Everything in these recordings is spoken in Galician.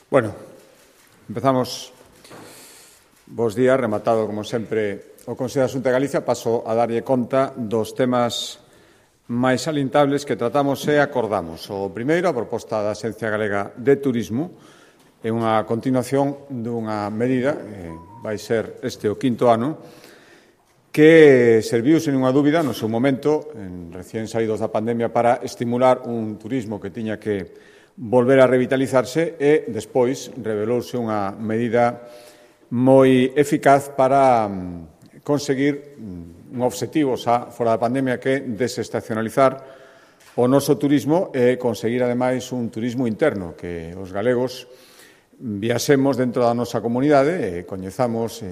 Bueno, empezamos. Bos días, rematado, como sempre, o Consello da Xunta de Galicia. Paso a darlle conta dos temas máis salientables que tratamos e acordamos. O primeiro, a proposta da Axencia Galega de Turismo, é unha continuación dunha medida, vai ser este o quinto ano, que serviu, sen unha dúbida, no seu momento, recién saídos da pandemia, para estimular un turismo que tiña que volver a revitalizarse e, despois, revelouse unha medida moi eficaz para conseguir un obxectivo xa fora da pandemia, que é desestacionalizar o noso turismo e conseguir, ademais, un turismo interno, que os galegos viaxemos dentro da nosa comunidade e coñezamos,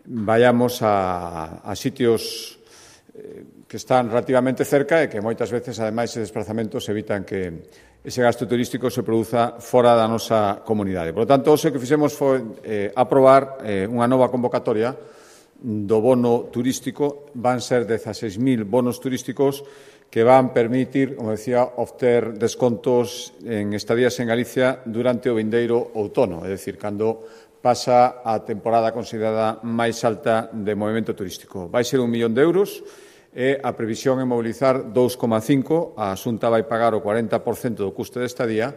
vayamos a sitios que están relativamente cerca e que moitas veces, ademais, esses desplazamentos evitan que ese gasto turístico se produza fora da nosa comunidade. Por lo tanto, hoxe o que fixemos foi aprobar unha nova convocatoria do bono turístico. Van ser 16.000 bonos turísticos que van permitir, como decía, obter descontos en estadías en Galicia durante o vindeiro outono, é dicir, cando pasa a temporada considerada máis alta de movimento turístico. Vai ser 1 millón de euros e a previsión é mobilizar 2,5. A Xunta vai pagar o 40% do custe de estadía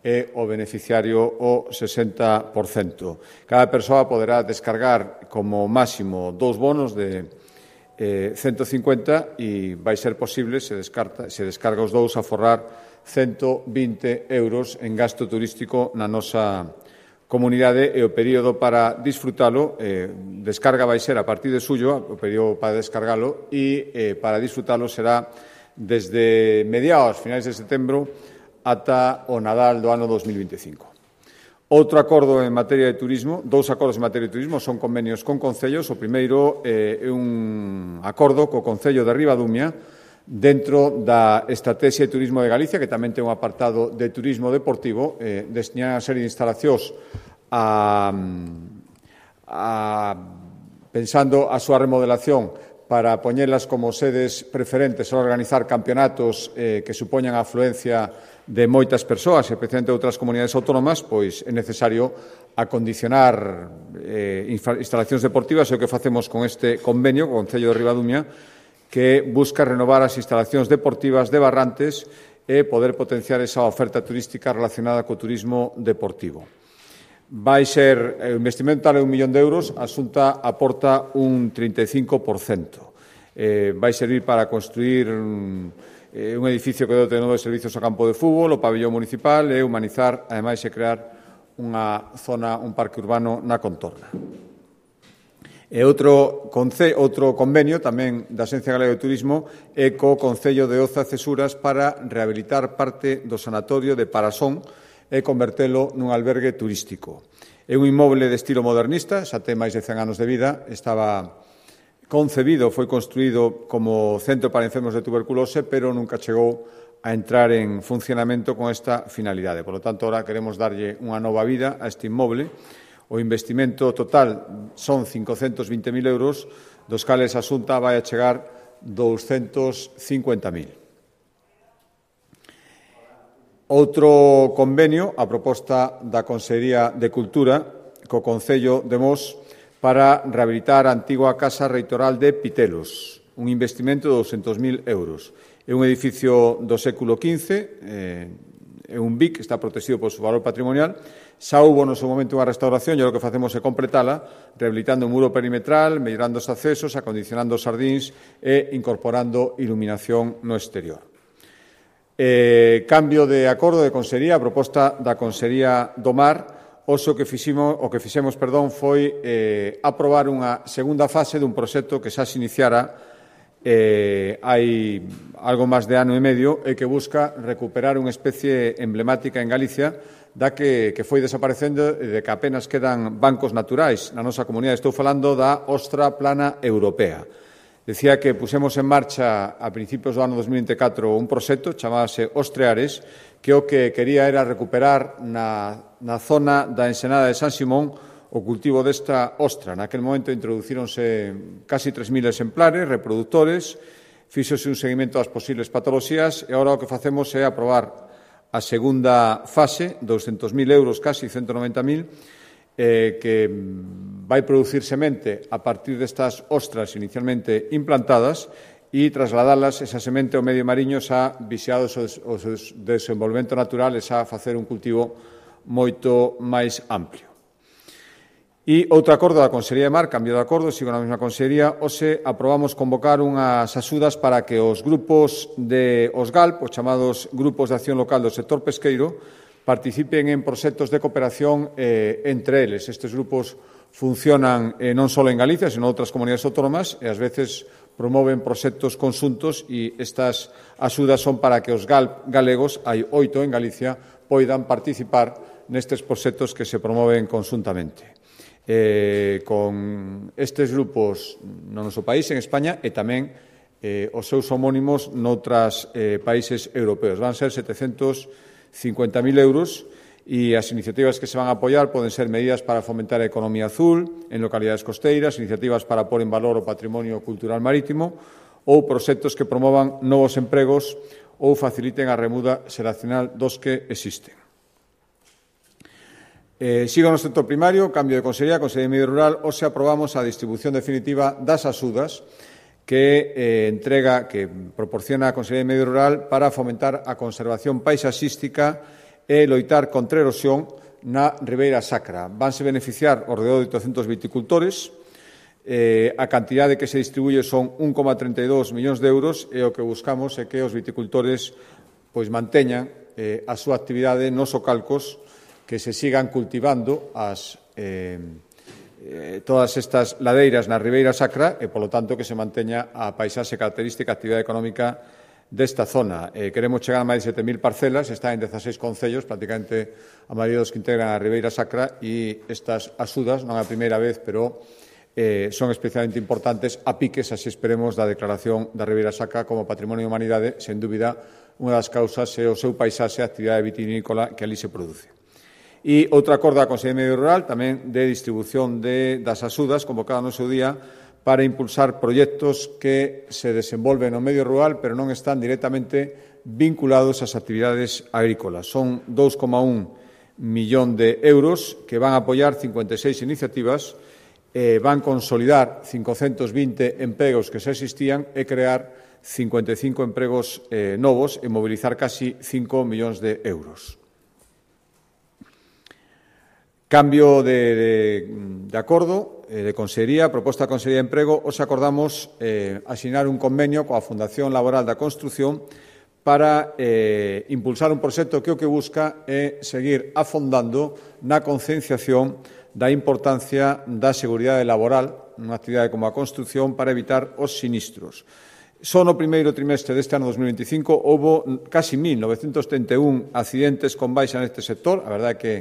e o beneficiario o 60%. Cada persoa poderá descargar como máximo 2 bonos de 150 e vai ser posible, se descarga os dous, aforrar 120 euros en gasto turístico na nosa comunidade, e o período para disfrutalo, descarga vai ser a partir de xullo, o período para descargalo, e para disfrutalo será desde mediados, finais de setembro, ata o Nadal do ano 2025. Outro acordo en materia de turismo, dous acordos en materia de turismo, son convenios con concellos. O primeiro é un acordo co Concello de Ribadumia dentro da Estrategia de Turismo de Galicia, que tamén ten un apartado de turismo deportivo, destinado a unha serie de instalacións pensando a súa remodelación para poñelas como sedes preferentes a organizar campeonatos que supoñan a afluencia de moitas persoas, especialmente de outras comunidades autónomas. Pois é necesario acondicionar instalacións deportivas, e o que facemos con este convenio co Concello de Ribadumia, que busca renovar as instalacións deportivas de Barrantes e poder potenciar esa oferta turística relacionada co turismo deportivo. Vai ser, o investimento tal é 1 millón de euros, a Xunta aporta un 35%. Vai servir para construir un edificio que dote de novos servizos ao campo de fútbol, o pabillón municipal, e humanizar, ademais, e crear unha zona, un parque urbano na contorna. E outro convenio tamén da Axencia Galega de Turismo é co Concello de Oza Cesuras para rehabilitar parte do sanatorio de Parasón e convertelo nun albergue turístico. É un inmoble de estilo modernista, xa ten máis de 100 anos de vida, estaba concebido, foi construído como centro para enfermos de tuberculose, pero nunca chegou a entrar en funcionamento con esta finalidade. Por lo tanto, ahora queremos darlle unha nova vida a este inmoble. O investimento total son 520.000 euros, dos cales a Xunta vai a chegar 250.000. Outro convenio, a proposta da Consellería de Cultura co Concello de Mos para rehabilitar a antigua Casa Reitoral de Pitelos, un investimento de 200.000 euros. É un edificio do século XV, é un BIC, está protegido por seu valor patrimonial. Xa houbo no seu momento unha restauración, e o que facemos é completala, rehabilitando un muro perimetral, mellorando os accesos, acondicionando os xardíns e incorporando iluminación no exterior. Cambio de acordo de Consellería, a proposta da Consellería do Mar. O que fixemos foi aprobar unha segunda fase dun proxecto que xa se iniciara hai algo máis de ano e medio, e que busca recuperar unha especie emblemática en Galicia da que foi desaparecendo e de que apenas quedan bancos naturais na nosa comunidade. Estou falando da Ostra Plana Europea. Decía que pusemos en marcha a principios do ano 2024 un proxecto chamábase Ostreares, que o que quería era recuperar na zona da ensenada de San Simón o cultivo desta ostra. Naquel momento introducíronse casi 3.000 exemplares, reproductores, fíxose un seguimento das posibles patoloxías, e agora o que facemos é aprobar a segunda fase, 200.000 euros, casi 190.000, que vai producir semente a partir destas ostras inicialmente implantadas e trasladalas, esa semente, ao medio mariño xa vixiados o desenvolvemento natural e xa facer un cultivo moito máis amplio. E outro acordo da Consellería de Mar, cambio de acordo, sigo na mesma Consellería, hoxe aprobamos convocar unhas axudas para que os grupos de OSGALP, os chamados Grupos de Acción Local do Sector Pesqueiro, participen en proxectos de cooperación entre eles. Estes grupos funcionan non só en Galicia, sino en outras comunidades autónomas e ás veces promoven proxectos conxuntos e estas axudas son para que os GALP galegos, hai 8 en Galicia, poidan participar nestes proxectos que se promoven conxuntamente. Con estes grupos no noso país, en España, e tamén os seus homónimos noutros países europeos. Van ser 750.000 euros e as iniciativas que se van a apoiar poden ser medidas para fomentar a economía azul en localidades costeiras, iniciativas para pôr en valor o patrimonio cultural marítimo ou proxectos que promovan novos empregos ou faciliten a remuda xeracional dos que existen. Sigo no sector primario, cambio de Consellería, Consellería de Medio Rural, hoxe aprobamos a distribución definitiva das axudas que proporciona a Consellería de Medio Rural para fomentar a conservación paisaxística e loitar contra a erosión na Ribeira Sacra. Vanse beneficiar ao redor de 800 viticultores, a cantidade que se distribuye son 1,32 millóns de euros e o que buscamos é que os viticultores manteñan a súa actividade nos ocalcos, que se sigan cultivando todas estas ladeiras na Ribeira Sacra e, polo tanto, que se manteña a paisaxe característica, a actividade económica desta zona. Queremos chegar a máis de 7.000 parcelas, está en 16 concellos, prácticamente a maioría dos que integran a Ribeira Sacra, e estas axudas, non a primeira vez, pero son especialmente importantes a piques, así esperemos, da declaración da Ribeira Sacra como Patrimonio da Humanidade. Sen dúbida, unha das causas é o seu paisaxe, a actividade vitivinícola que ali se produce. E outro acordo da Consellería de Medio Rural, tamén de distribución das axudas, convocada no seu día, para impulsar proxectos que se desenvolven no medio rural, pero non están directamente vinculados ás actividades agrícolas. Son 2,1 millón de euros que van a apoiar 56 iniciativas, van consolidar 520 empregos que xa existían e crear 55 empregos novos e mobilizar casi 5 millóns de euros. Cambio de acordo de Consellería, proposta da Consellería de Emprego, os acordamos asinar un convenio coa Fundación Laboral da Construción para impulsar un proxecto que o que busca é seguir afondando na concienciación da importancia da seguridade laboral nunha actividade como a construción para evitar os sinistros. Só no primeiro trimestre deste ano 2025 houbo casi 1.931 accidentes con baixa neste sector. A verdade é que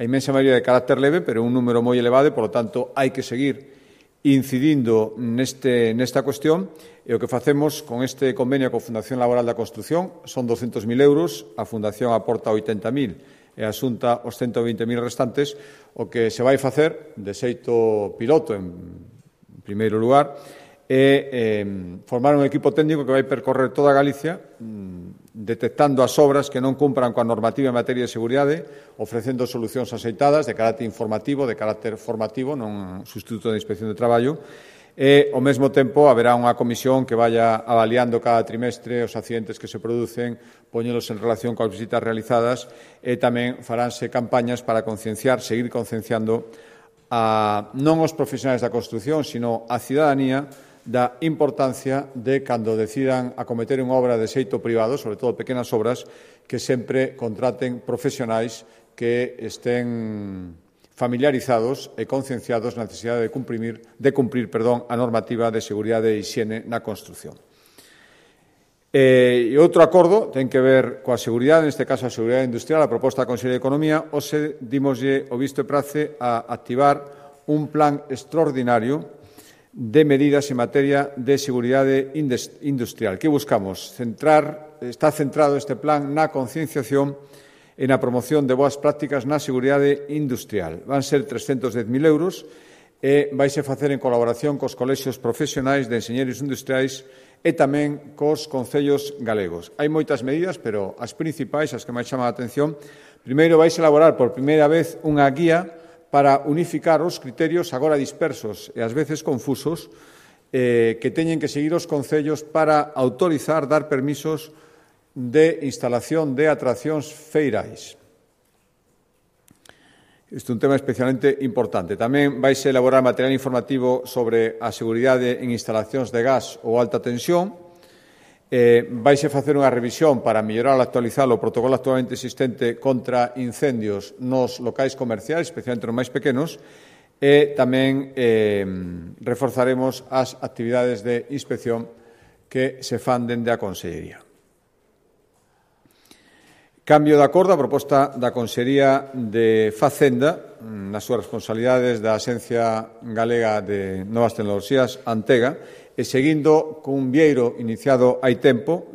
a inmensa maioría de carácter leve, pero un número moi elevado e, polo tanto, hai que seguir incidindo nesta cuestión. E o que facemos con este convenio coa Fundación Laboral da Construción son 200.000 euros, a Fundación aporta 80.000 e a Xunta os 120.000 restantes. O que se vai facer, de xeito piloto, en primeiro lugar, é formar un equipo técnico que vai percorrer toda Galicia, detectando as obras que non cumpran coa normativa en materia de seguridade, ofrecendo solucións axeitadas de carácter informativo, de carácter formativo, non sustituto de inspección de traballo, e, ao mesmo tempo, haberá unha comisión que vaya avaliando cada trimestre os accidentes que se producen, poñelos en relación coas visitas realizadas, e tamén faránse campañas para seguir concienciando non os profesionais da construción, sino a cidadanía da importancia de, cando decidan acometer unha obra de xeito privado, sobre todo pequenas obras, que sempre contraten profesionais que estén familiarizados e concienciados na necesidade de cumprir a normativa de seguridade e hixiene na construción. E outro acordo ten que ver coa seguridade, neste caso a seguridade industrial, a proposta da Consellería de Economía. Hoxe dimoslle o visto e prace a activar un plan extraordinario de medidas en materia de seguridade industrial. Que buscamos? Está centrado este plan na concienciación e na promoción de boas prácticas na seguridade industrial. Van ser 310.000 euros e vaise facer en colaboración cos colexios profesionais de enxeñeiros industriais e tamén cos concellos galegos. Hai moitas medidas, pero as principais, as que máis chaman a atención, primeiro vaise elaborar por primeira vez unha guía para unificar os criterios agora dispersos e ás veces confusos que teñen que seguir os concellos para autorizar, dar permisos de instalación de atraccións feirais. Isto é un tema especialmente importante. Tamén vaise elaborar material informativo sobre a seguridade en instalacións de gas ou alta tensión. Vaise facer unha revisión para mellorar e actualizar o protocolo actualmente existente contra incendios nos locais comerciais, especialmente nos máis pequenos, e tamén reforzaremos as actividades de inspección que se fan dende a Consellería. Cambio de acordo a proposta da Consellería de Facenda nas súas responsabilidades da Axencia Galega de Novas Tecnoloxías, Antega, e seguindo cun vieiro iniciado hai tempo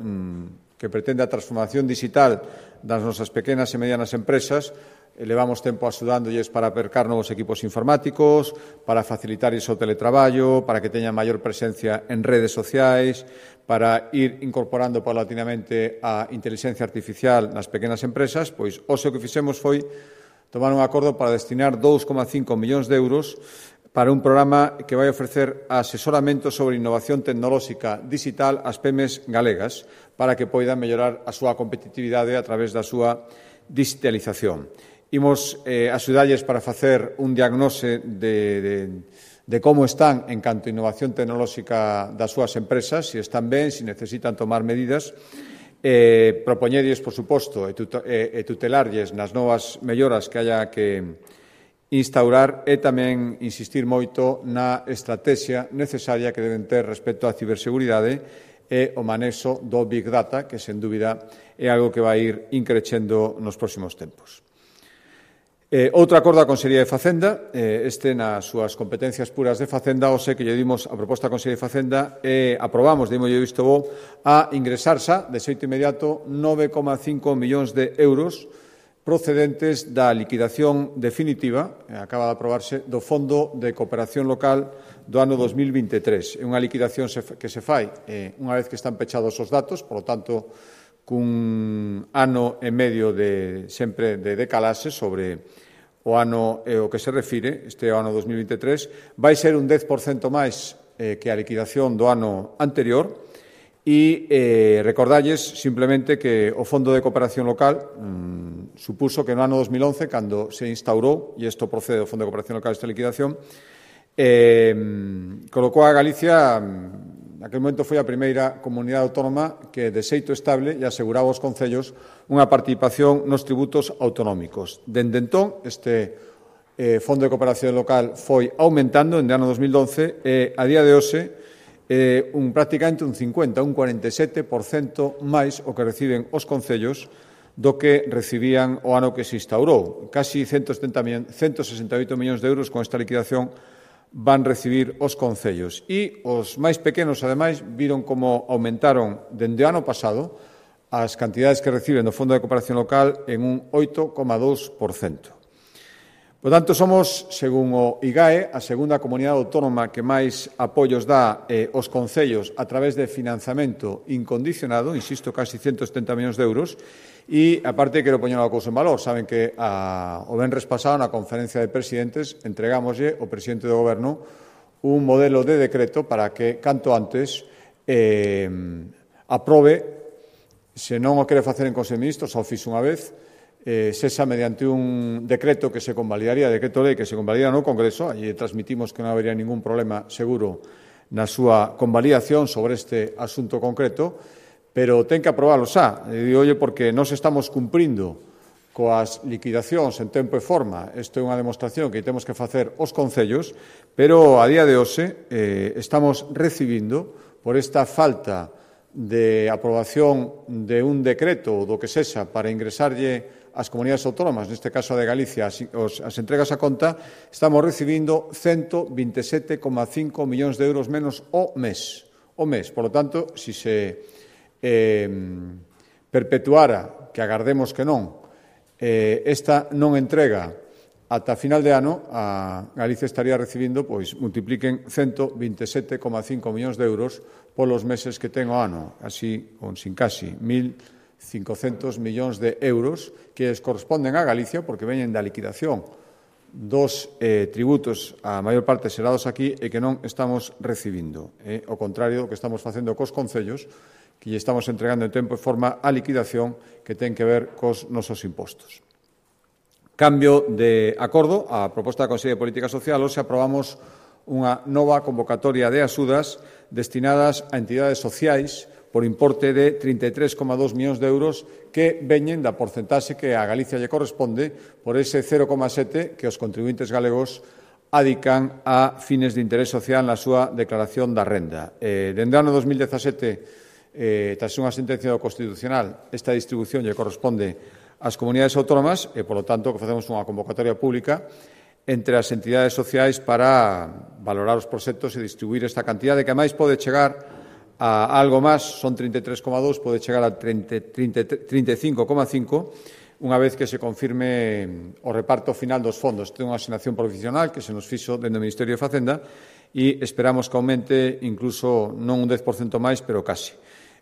que pretende a transformación digital das nosas pequenas e medianas empresas. Levamos tempo axudándolles para apercar novos equipos informáticos, para facilitar o teletraballo, para que teñan maior presencia en redes sociais, para ir incorporando paulatinamente a inteligencia artificial nas pequenas empresas. Pois hoxe o que fixemos foi tomar un acordo para destinar 2,5 millóns de euros para un programa que vai ofrecer asesoramento sobre innovación tecnolóxica digital ás PEMES galegas para que poidan mellorar a súa competitividade a través da súa digitalización. Imos axudalles para facer un diagnose de como están en canto a innovación tecnolóxica das súas empresas, se están ben, se necesitan tomar medidas, propoñerlles, por suposto, e tutelarlles nas novas melloras que haya que instaurar e tamén insistir moito na estrategia necesaria que deben ter respecto á ciberseguridade e o manexo do Big Data, que, sen dúbida, é algo que vai ir increcendo nos próximos tempos. Outro acordo da Consellería de Facenda, nas súas competencias puras de Facenda, o que lle dimos a proposta da Consellería de Facenda e aprobamos, dimoslle visto bo, a ingresar xa, de xeito inmediato, 9,5 millóns de euros procedentes da liquidación definitiva, acaba de aprobarse, do Fondo de Cooperación Local do ano 2023. É unha liquidación que se fai unha vez que están pechados os datos, por lo tanto, cun ano e medio sempre de decalaxe sobre o ano e o que se refire, este ano 2023, vai ser un 10% máis que a liquidación do ano anterior e recordarlles simplemente que o Fondo de Cooperación Local supuso que no ano 2011, cando se instaurou, e isto procede do Fondo de Cooperación Local esta liquidación, colocou a Galicia, naquele momento foi a primeira comunidade autónoma que de xeito estable e aseguraba aos concellos unha participación nos tributos autonómicos. Dende entón, este Fondo de Cooperación Local foi aumentando en ano 2012 e a día de hoxe prácticamente un 50, un 47% máis o que reciben os concellos do que recibían o ano que se instaurou. Casi 168 millóns de euros con esta liquidación van recibir os concellos. E os máis pequenos, ademais, viron como aumentaron dende o ano pasado as cantidades que reciben do Fondo de Cooperación Local en un 8,2%. Por tanto, somos, según o IGAE, a segunda comunidade autónoma que máis apoios dá aos concellos a través de financiamento incondicionado, insisto, casi 170 millóns de euros, e, aparte, quero poñer unha cousa en valor. Saben que o venres pasado, na conferencia de presidentes, entregámoslle ao presidente do Goberno un modelo de decreto para que, canto antes, aprobe, se non o quere facer en Consello de Ministros, ao fixo unha vez, sexa mediante un decreto que se convalidaría, decreto lei que se convalida no Congreso, e transmitimos que non habería ningún problema seguro na súa convalidación sobre este asunto concreto, pero ten que aprobalo xa. Digolle porque nós estamos cumprindo coas liquidacións en tempo e forma. Isto é unha demostración que temos que facer os concellos, pero a día de hoxe estamos recibindo, por esta falta de aprobación de un decreto do que sexa para ingresarlle ás comunidades autónomas, neste caso a de Galicia, as entregas a conta, estamos recibindo 127,5 millóns de euros menos o mes. Por lo tanto, se perpetuara, que agardemos que non, esta non entrega ata final de ano a Galicia estaría recibindo, pois multipliquen 127,5 millóns de euros polos meses que ten o ano, así, con sin casi 1.500 millóns de euros que les corresponden a Galicia porque veñen da liquidación dos tributos a maior parte xerados aquí e que non estamos recibindo. Ao contrario do que estamos facendo cos concellos, que lle estamos entregando en tempo e forma a liquidación que ten que ver cos nosos impostos. Cambio de acordo á proposta da Consellería de Política Social, hoxe aprobamos unha nova convocatoria de axudas destinadas a entidades sociais por importe de 33,2 millóns de euros que veñen da porcentaxe que a Galicia lle corresponde por ese 0,7 que os contribuintes galegos adican a fines de interés social na súa declaración da renda. Dende o ano 2017, tras unha sentencia do Constitucional, esta distribución lle corresponde ás comunidades autónomas e, polo tanto, que facemos unha convocatoria pública entre as entidades sociais para valorar os proxectos e distribuir esta cantidade que, máis, pode chegar a algo máis, son 33,2, pode chegar a 35,5, unha vez que se confirme o reparto final dos fondos. Ten unha asignación provisional que se nos fixo dentro do Ministerio de Facenda e esperamos que aumente incluso non un 10% máis, pero casi.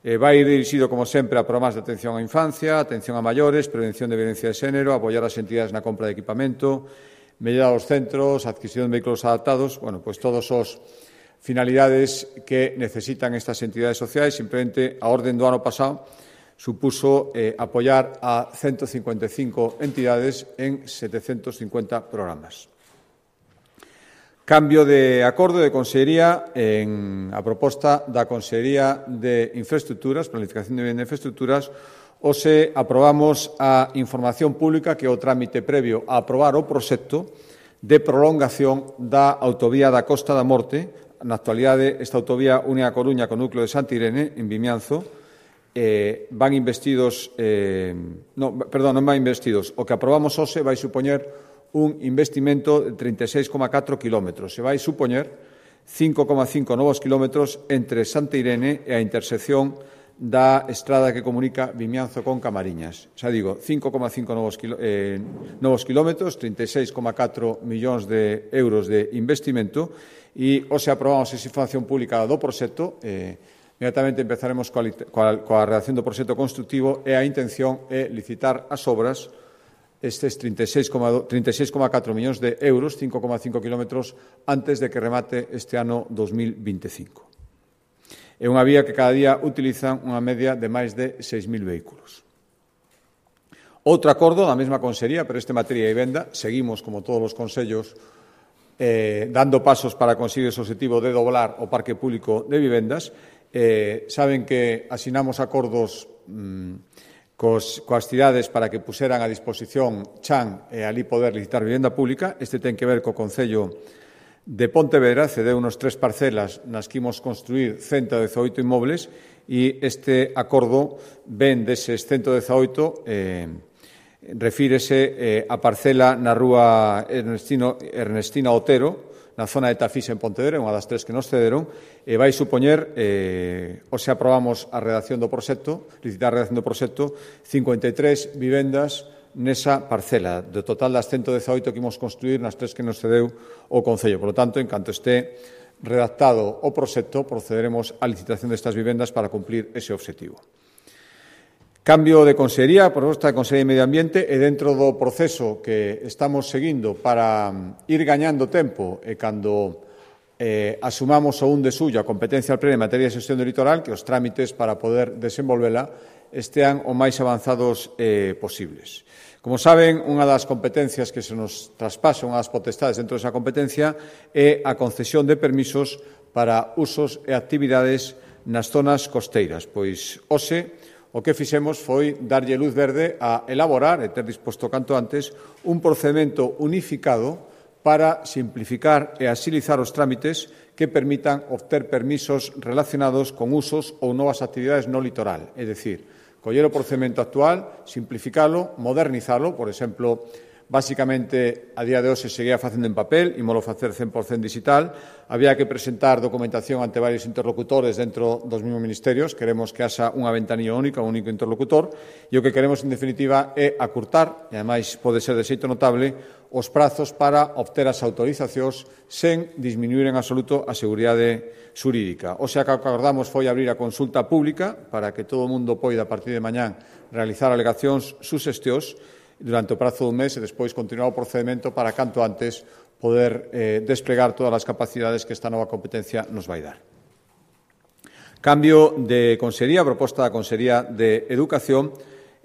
Vai ir dirixido, como sempre, a programas de atención á infancia, atención a maiores, prevención de violencia de xénero, apoiar as entidades na compra de equipamento, mellora dos centros, adquisición de vehículos adaptados, pois todos os finalidades que necesitan estas entidades sociais. Simplemente, a orden do ano pasado supuso apoiar a 155 entidades en 750 programas. Cambio de acordo de Consellería a proposta da Consellería de Infraestructuras, Planificación de Vivenda e Infraestructuras. Hoxe aprobamos a información pública que é o trámite previo a aprobar o proxecto de prolongación da autovía da Costa da Morte. Na actualidade, esta autovía une a Coruña co núcleo de Santa Irene, en Vimianzo. Non van investidos. O que aprobamos hoxe vai supoñer un investimento de 36,4 kilómetros. Se vai supoñer 5,5 novos kilómetros entre Santa Irene e a intersección da estrada que comunica Vimianzo con Camariñas. Xa digo, 5,5 novos kilómetros, 36,4 millóns de euros de investimento, e hoxe aprobamos esa información pública do proxecto. Inmediatamente empezaremos coa redacción do proxecto constructivo e a intención é licitar as obras estes 36,4 millóns de euros, 5,5 kilómetros, antes de que remate este ano 2025. É unha vía que cada día utilizan unha media de máis de 6.000 vehículos. Outro acordo da mesma Consellería, pero este materia de vivenda. Seguimos, como todos os consellos, dando pasos para conseguir ese objetivo de doblar o parque público de vivendas. Saben que asinamos acordos coas cidades para que puseran a disposición Chan e ali poder licitar vivenda pública. Este ten que ver co Concello de Pontevedra, cedeu unos 3 parcelas nas que imos construir 118 inmobles e este acordo ven deses 118, refírese a parcela na rúa Ernestina Otero, na zona de Tafís en Pontevedra, unha das 3 que nos cederon, e vai supoñer, hoxe aprobamos a redacción do proxecto, licitar a redacción do proxecto, 53 vivendas nesa parcela, do total das 118 que imos construir nas 3 que nos cedeu o Concello. Por lo tanto, en canto este redactado o proxecto, procederemos á licitación destas vivendas para cumplir ese obxectivo. Cambio de Consellería, proposta de Consellería de Medio Ambiente, e dentro do proceso que estamos seguindo para ir gañando tempo e cando asumamos o un de suyo a competencia plena en materia de xestión do litoral, que os trámites para poder desenvolvela estean o máis avanzados posibles. Como saben, unha das competencias que se nos traspasa, unha das potestades dentro desa competencia, é a concesión de permisos para usos e actividades nas zonas costeiras. Pois, hoxe, o que fixemos foi darlle luz verde a elaborar e ter disposto canto antes un procedimento unificado para simplificar e axilizar os trámites que permitan obter permisos relacionados con usos ou novas actividades no litoral. É dicir, coller o procedimento actual, simplificalo, modernizalo, por exemplo, Básicamente, a día de hoxe se seguía facendo en papel, ímolo facer 100% digital. Había que presentar documentación ante varios interlocutores dentro dos mesmos ministerios. Queremos que haxa unha ventanilla única, un único interlocutor, e o que queremos, en definitiva, é acurtar, e ademais pode ser de xeito notable, os prazos para obter as autorizacións sen disminuir en absoluto a seguridade xurídica. O sea, que acordamos foi abrir a consulta pública para que todo o mundo poida, a partir de mañán, realizar alegacións, suxestións, durante o prazo dun mes e despois continuar o procedimento para canto antes poder desplegar todas as capacidades que esta nova competencia nos vai dar. Cambio de consellería, proposta da Consellería de Educación.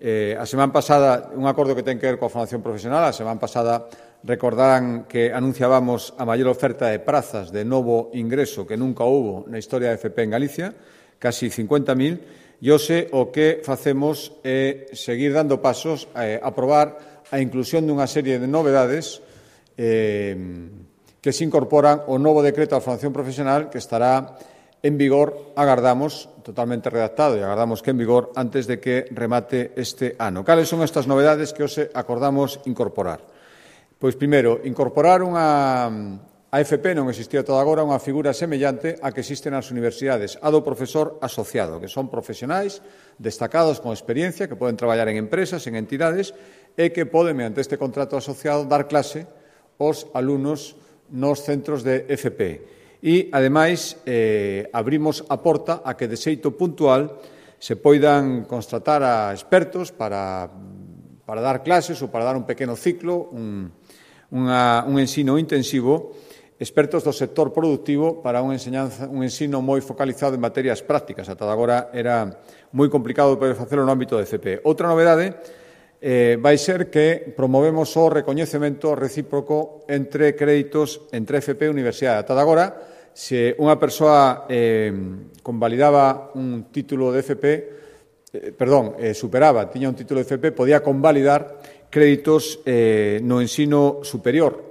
A semana pasada, un acordo que ten que ver coa formación profesional, a semana pasada recordarán que anunciábamos a maior oferta de prazas de novo ingreso que nunca houbo na historia de FP en Galicia, casi 50.000, e hoxe o que facemos é seguir dando pasos a aprobar a inclusión dunha serie de novedades que se incorporan ao novo decreto da formación profesional que estará en vigor, agardamos, totalmente redactado, e agardamos que en vigor antes de que remate este ano. Cales son estas novedades que hoxe acordamos incorporar? Pois, primeiro, incorporar a FP non existía toda agora unha figura semellante a que existe nas universidades, a do profesor asociado, que son profesionais destacados con experiencia, que poden traballar en empresas, en entidades, e que poden, mediante este contrato asociado, dar clase aos alumnos nos centros de FP. E, ademais, abrimos a porta a que, de xeito puntual, se poidan constatar a expertos para dar clases ou para dar un pequeno ciclo, un ensino intensivo, expertos do sector productivo para un ensino moi focalizado en materias prácticas. Ata agora era moi complicado poder facelo no ámbito de FP. Outra novedade vai ser que promovemos o recoñecemento recíproco entre créditos entre FP e universidade. Ata agora, se unha persoa convalidaba un título de FP, superaba, tiña un título de FP, podía convalidar créditos no ensino superior,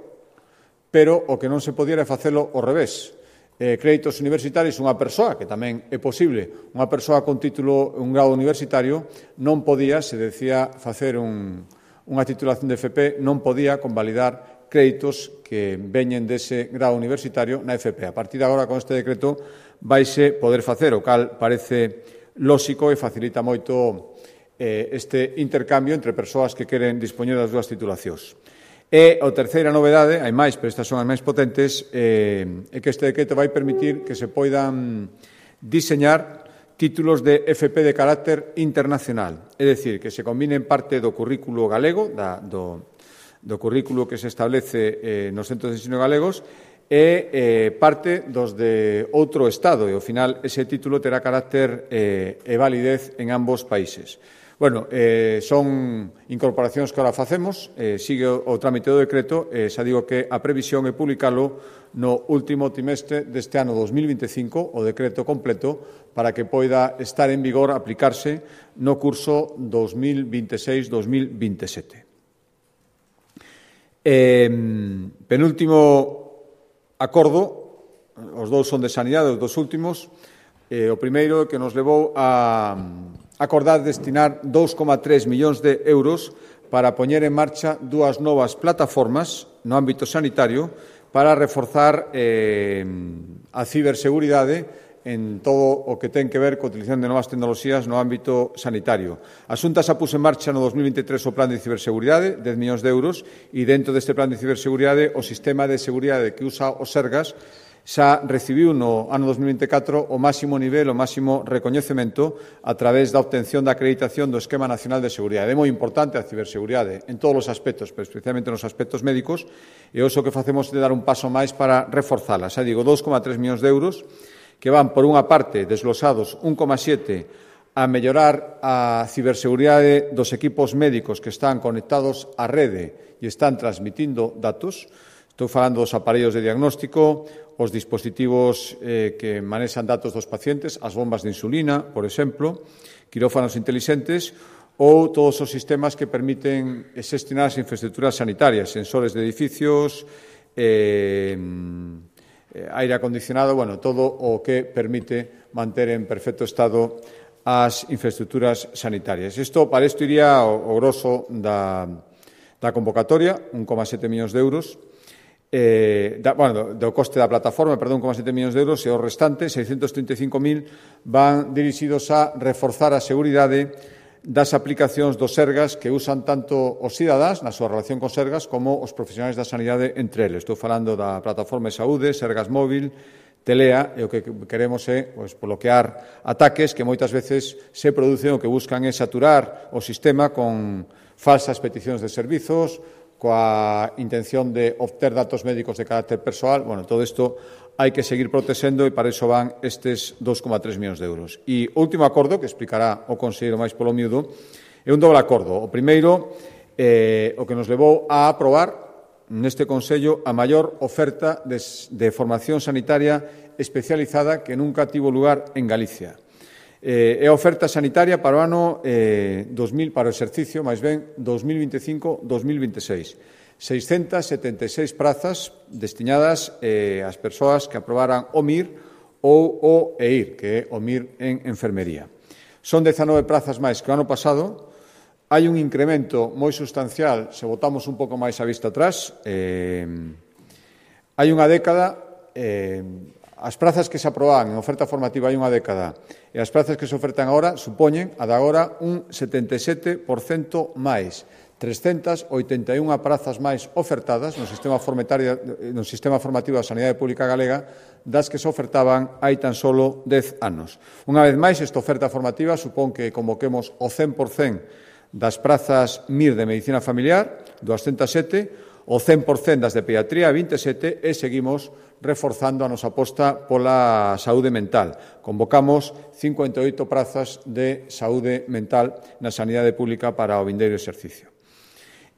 pero o que non se podía era facelo ao revés. Créditos universitarios, unha persoa, que tamén é posible, unha persoa con título, un grado universitario, non podía, se decía facer unha titulación de FP, non podía convalidar créditos que veñen dese grado universitario na FP. A partir de agora, con este decreto, vaise poder facer, o cal parece lóxico e facilita moito este intercambio entre persoas que queren dispoñer das dúas titulacións. E a terceira novedade, hai máis, pero estas son as máis potentes, é que este decreto vai permitir que se poidan diseñar títulos de FP de carácter internacional, é dicir, que se combinen parte do currículo galego, do currículo que se establece nos centros de ensino galegos, e parte dos de outro Estado, e ao final ese título terá carácter e validez en ambos países. Bueno, son incorporacións que ahora facemos, sigue o trámite do decreto, xa digo que a previsión é publicalo no último trimestre deste ano 2025, o decreto completo, para que poida estar en vigor, aplicarse no curso 2026-2027. Penúltimo acordo, os dous son de sanidade, os dos últimos, o primeiro que nos levou a acordar destinar 2,3 millóns de euros para poñer en marcha dúas novas plataformas no ámbito sanitario para reforzar a ciberseguridade en todo o que ten que ver coa utilización de novas tecnoloxías no ámbito sanitario. A Xunta xa puso en marcha no 2023 o plan de ciberseguridade, 10 millóns de euros, e dentro deste plan de ciberseguridade o sistema de seguridade que usa o Sergas xa recibiu no ano 2024 o máximo nivel, o máximo recoñecemento a través da obtención da acreditación do Esquema Nacional de Seguridade. É moi importante a ciberseguridade en todos os aspectos, pero especialmente nos aspectos médicos, e o que facemos é dar un paso máis para reforzala. Xa digo, 2,3 millóns de euros que van, por unha parte, desglosados 1,7 a mellorar a ciberseguridade dos equipos médicos que están conectados á rede e están transmitindo datos. Estou falando dos aparellos de diagnóstico, os dispositivos que manexan datos dos pacientes, as bombas de insulina, por exemplo, quirófanos intelixentes, ou todos os sistemas que permiten xestionar as infraestructuras sanitarias, sensores de edificios, aire acondicionado, bueno, todo o que permite manter en perfecto estado as infraestructuras sanitarias. Para isto iría o grosso Da convocatoria, 1,7 millóns de euros, do coste da plataforma, 1,7 millóns de euros, e o restante, 635.000, van dirixidos a reforzar a seguridade das aplicacións dos Sergas que usan tanto os cidadáns na súa relación con Sergas como os profesionais da sanidade entre eles. Estou falando da plataforma de saúde, Sergas Móvil, Telea, e o que queremos é bloquear ataques que moitas veces se producen o que buscan é saturar o sistema con falsas peticións de servizos, coa intención de obter datos médicos de carácter persoal. Todo isto hai que seguir protexendo e para iso van estes 2,3 millóns de euros. E o último acordo, que explicará o conselleiro máis polo miúdo, é un doble acordo. O primeiro, o que nos levou a aprobar neste Consello a maior oferta de formación sanitaria especializada que nunca tivo lugar en Galicia. É a oferta sanitaria para o ano 2000, para o exercicio, máis ben, 2025-2026. 676 prazas destinadas ás persoas que aprobaran o MIR ou o EIR, que é o MIR en enfermería. Son 19 prazas máis que o ano pasado. Hai un incremento moi sustancial, se botamos un pouco máis a vista atrás. Hai unha década, as prazas que se aprobaban en oferta formativa hai unha década e as prazas que se ofertan agora supoñen, a de agora, un 77% máis. 381 prazas máis ofertadas no sistema formativo da Sanidade Pública Galega das que se ofertaban hai tan solo 10 anos. Unha vez máis, esta oferta formativa supón que convoquemos o 100% das prazas MIR de Medicina Familiar, 207, o 100% das de Pediatría, 27, e seguimos reforzando a nosa aposta pola saúde mental. Convocamos 58 prazas de saúde mental na Sanidade Pública para o vindeiro exercicio.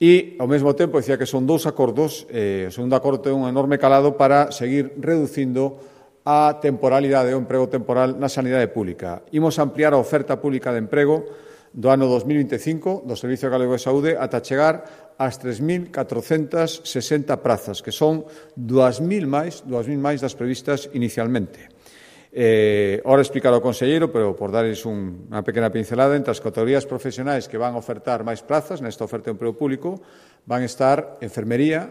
E, ao mesmo tempo, dicía que son dous acordos. O segundo acordo ten un enorme calado para seguir reducindo a temporalidade, o emprego temporal na sanidade pública. Imos ampliar a oferta pública de emprego do ano 2025 do Servicio Galego de Saúde ata chegar ás 3.460 prazas, que son 2.000 máis das previstas inicialmente. Ora explicar ao conselleiro, pero por darles unha pequena pincelada, entre as categorías profesionais que van a ofertar máis plazas nesta oferta de emprego público van estar enfermería,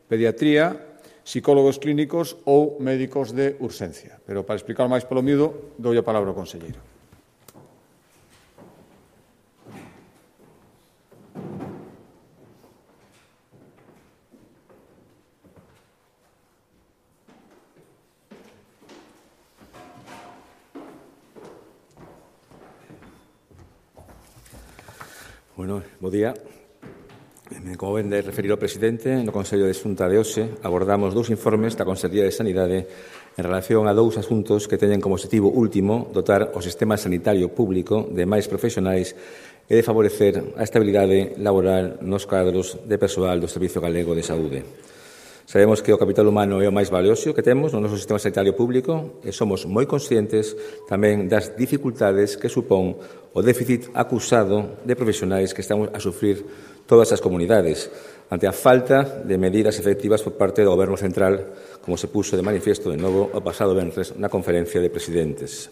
pediatría, psicólogos clínicos ou médicos de urxencia. Pero para explicar máis polo miúdo, dou a palabra ao conselleiro. Bo día. Como ben de referir o presidente, no Consello de Xunta de hoxe abordamos dous informes da Consellería de Sanidade en relación a dous asuntos que teñen como objetivo último dotar o sistema sanitario público de máis profesionais e de favorecer a estabilidade laboral nos cadros de persoal do Servicio Galego de Saúde. Sabemos que o capital humano é o máis valioso que temos no noso sistema sanitario público e somos moi conscientes tamén das dificultades que supón o déficit acusado de profesionais que estamos a sufrir todas as comunidades ante a falta de medidas efectivas por parte do Goberno central, como se puxo de manifiesto de novo o pasado venres na conferencia de presidentes.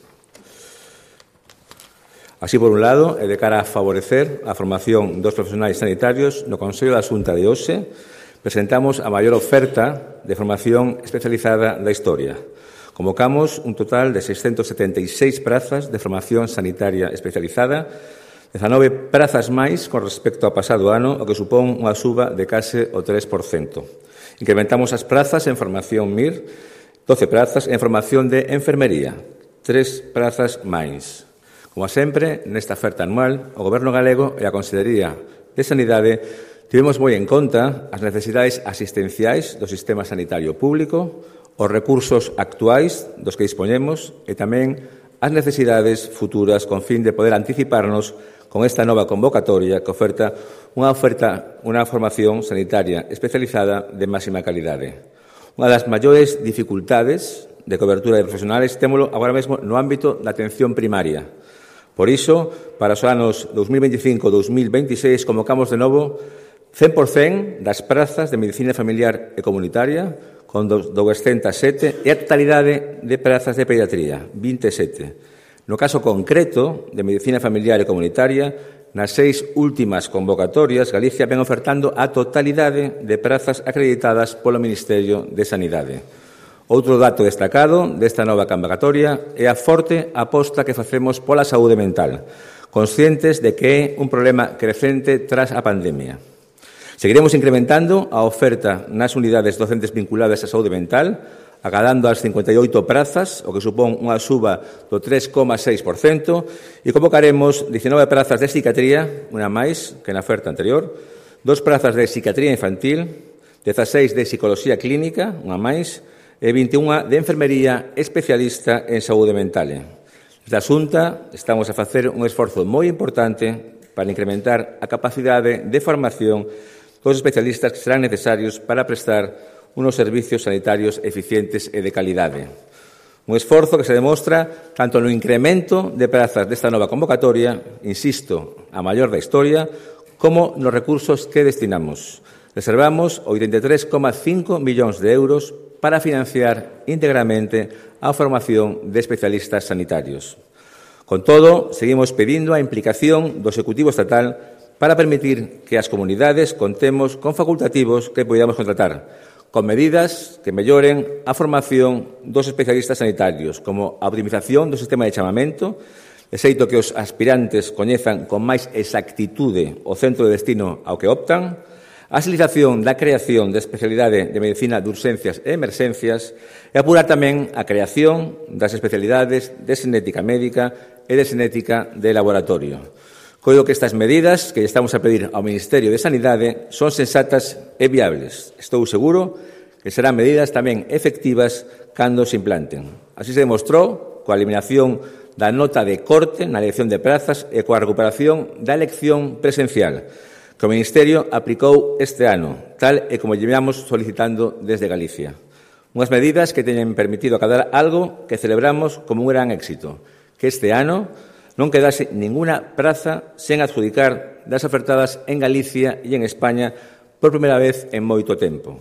Así, por un lado, e de cara a favorecer a formación dos profesionais sanitarios, no Consello da Xunta de hoxe presentamos a maior oferta de formación especializada da historia. Convocamos un total de 676 prazas de formación sanitaria especializada, 19 prazas máis con respecto ao pasado ano, o que supón unha suba de case o 3%. Incrementamos as prazas en formación MIR, 12 prazas en formación de enfermería, 3 prazas máis. Como sempre, nesta oferta anual, o Goberno galego e a Consellería de Sanidade tivemos moi en conta as necesidades asistenciais do sistema sanitario público, os recursos actuais dos que dispoñemos e tamén as necesidades futuras con fin de poder anticiparnos con esta nova convocatoria que oferta unha formación sanitaria especializada de máxima calidade. Unha das maiores dificultades de cobertura de profesionales témolo agora mesmo no ámbito da atención primaria. Por iso, para os anos 2025-2026 convocamos de novo 100% das prazas de medicina familiar e comunitaria, con 207, e a totalidade de prazas de pediatría, 27. No caso concreto de medicina familiar e comunitaria, Nas 6 últimas convocatorias, Galicia ven ofertando a totalidade de prazas acreditadas polo Ministerio de Sanidade. Outro dato destacado desta nova convocatoria é a forte aposta que facemos pola saúde mental, conscientes de que é un problema crecente tras a pandemia. Seguiremos incrementando a oferta nas unidades docentes vinculadas á saúde mental, acadando as 58 prazas, o que supón unha suba do 3,6%, e convocaremos 19 prazas de psiquiatría, unha máis que na oferta anterior, 2 prazas de psiquiatría infantil, 16 de psicoloxía clínica, unha máis, e 21 de enfermería especialista en saúde mental. Desde a Xunta estamos a facer un esforzo moi importante para incrementar a capacidade de formación dos especialistas que serán necesarios para prestar unos servicios sanitarios eficientes e de calidade. Un esforzo que se demostra tanto no incremento de prazas desta nova convocatoria, insisto, a maior da historia, como nos recursos que destinamos. Reservamos 83,5 millóns de euros para financiar íntegramente a formación de especialistas sanitarios. Con todo, seguimos pedindo a implicación do Executivo Estatal para permitir que as comunidades contemos con facultativos que podamos contratar, con medidas que melloren a formación dos especialistas sanitarios, como a optimización do sistema de chamamento, de xeito que os aspirantes coñezan con máis exactitude o centro de destino ao que optan, a agilización da creación de especialidade de medicina de urxencias e emerxencias e apurar tamén a creación das especialidades de xenética médica e de xenética de laboratorio. Coido que estas medidas que estamos a pedir ao Ministerio de Sanidade son sensatas e viables. Estou seguro que serán medidas tamén efectivas cando se implanten. Así se demostrou coa eliminación da nota de corte na elección de prazas e coa recuperación da elección presencial, que o Ministerio aplicou este ano, tal e como llevamos solicitando desde Galicia. Unhas medidas que teñen permitido acadar algo que celebramos como un gran éxito, que este ano non quedase ninguna praza sen adjudicar das ofertadas en Galicia e en España por primeira vez en moito tempo.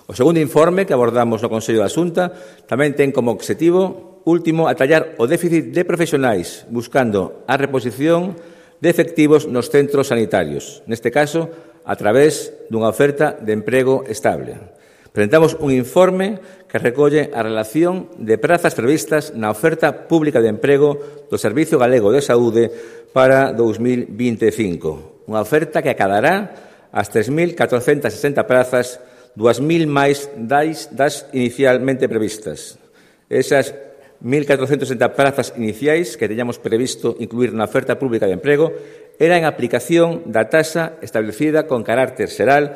O segundo informe que abordamos no Consello da Xunta tamén ten como objetivo último atallar o déficit de profesionais, buscando a reposición de efectivos nos centros sanitarios, neste caso a través dunha oferta de emprego estable. Presentamos un informe que recolle a relación de prazas previstas na oferta pública de emprego do Servicio Galego de Saúde para 2025. Unha oferta que acadará as 3.460 prazas, 2.000 máis das inicialmente previstas. Esas 1.460 prazas iniciais que teñamos previsto incluir na oferta pública de emprego era en aplicación da taxa establecida con carácter xeral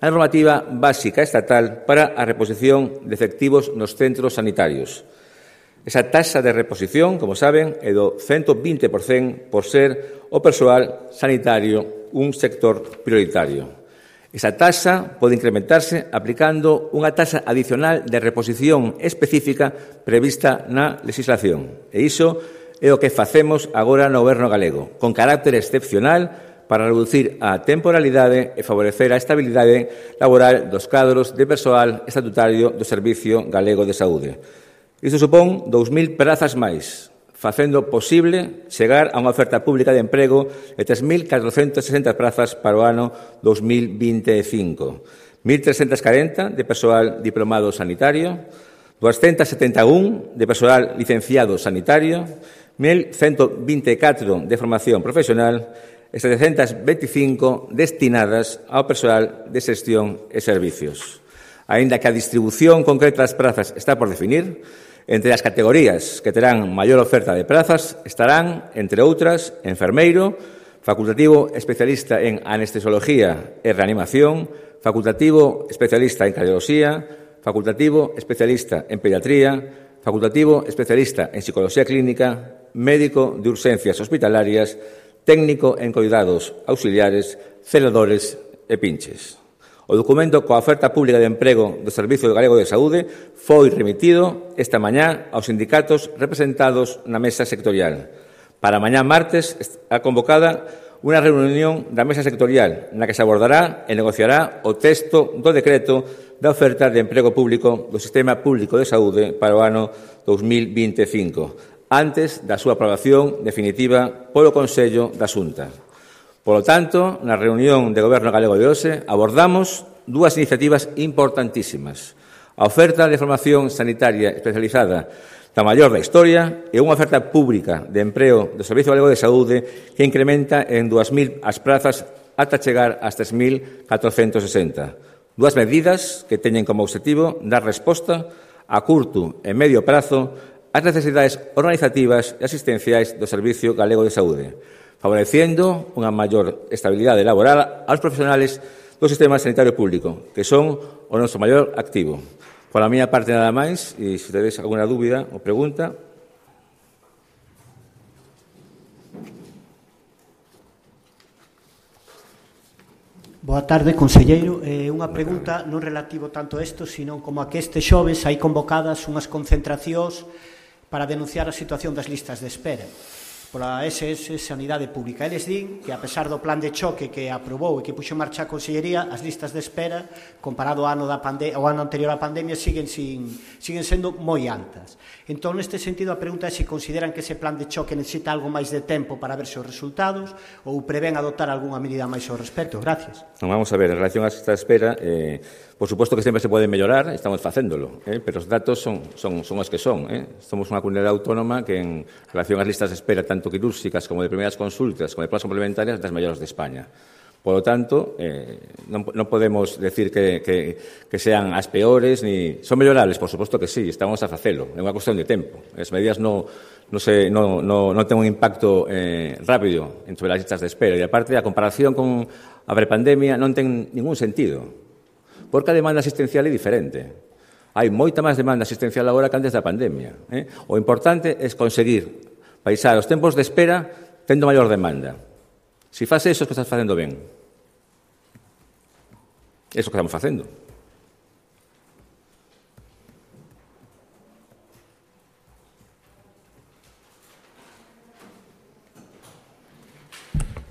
a normativa básica estatal para a reposición de efectivos nos centros sanitarios. Esa taxa de reposición, como saben, é do 120% por ser o persoal sanitario un sector prioritario. Esa taxa pode incrementarse aplicando unha taxa adicional de reposición específica prevista na legislación. E iso é o que facemos agora no Goberno galego, con carácter excepcional para reducir a temporalidade e favorecer a estabilidade laboral dos cadros de persoal estatutario do Servicio Galego de Saúde. Isto supón 2.000 prazas máis, facendo posible chegar a unha oferta pública de emprego de 3.460 prazas para o ano 2025. 1.340 de persoal diplomado sanitario, 271 de persoal licenciado sanitario, 1.124 de formación profesional e 725 destinadas ao persoal de xestión e servicios. Aínda que a distribución concreta das prazas está por definir, entre as categorías que terán maior oferta de prazas estarán, entre outras, enfermeiro, facultativo especialista en anestesiología e reanimación, facultativo especialista en cardioloxía, facultativo especialista en pediatría, facultativo especialista en psicología clínica, médico de urxencias hospitalarias, técnico en cuidados auxiliares, celadores e pinches. O documento coa oferta pública de emprego do Servicio Galego de Saúde foi remitido esta mañá aos sindicatos representados na mesa sectorial. Para mañá martes está convocada unha reunión da mesa sectorial na que se abordará e negociará o texto do decreto da oferta de emprego público do Sistema Público de Saúde para o ano 2025. Antes da súa aprobación definitiva polo Consello da Xunta. Polo tanto, na reunión de Goberno Galego de hoxe abordamos dúas iniciativas importantísimas. A oferta de formación sanitaria especializada da maior da historia e unha oferta pública de empreo do Servicio Galego de Saúde que incrementa en 2.000 as prazas ata chegar ás 3.460. Dúas medidas que teñen como objetivo dar resposta a curto e medio prazo ás necesidades organizativas e asistenciais do Servicio Galego de Saúde, favorecendo unha maior estabilidade laboral aos profesionales do sistema sanitario público, que son o noso maior activo. Por a miña parte nada máis, e se tedes alguna dúbida ou pregunta. Boa tarde, conselleiro. Unha pregunta non relativo tanto a isto, sino como a que este xoves hai convocadas unhas concentracións para denunciar a situación das listas de espera pola SS Sanidade Pública. Eles din que, a pesar do plan de choque que aprobou e que puxo en marcha a Consellería, as listas de espera, comparado ao ano anterior á pandemia, siguen sendo moi altas. Entón, neste sentido, a pregunta é se consideran que ese plan de choque necesita algo máis de tempo para ver os resultados ou prevén adoptar algunha medida máis ao respecto. Gracias. Vamos a ver, en relación a esta espera, por suposto que sempre se pode mellorar, estamos facéndolo, pero os datos son os que son. Somos unha comunidade autónoma que, en relación ás listas de espera, tanto quirúrxicas como de primeiras consultas, como de pruebas complementarias, das mellores de España. Por lo tanto, non podemos decir que sean as peores, ni son mellorables, por suposto que sí, estamos a facelo, é unha cuestión de tempo. As medidas non ten un impacto rápido sobre as listas de espera, e aparte a comparación con a prepandemia non ten ningún sentido, porque a demanda asistencial é diferente. Hai moita máis demanda asistencial agora que antes da pandemia. O importante é conseguir baixar os tempos de espera tendo maior demanda. Se faz eso, que estás facendo ben. Eso que estamos facendo.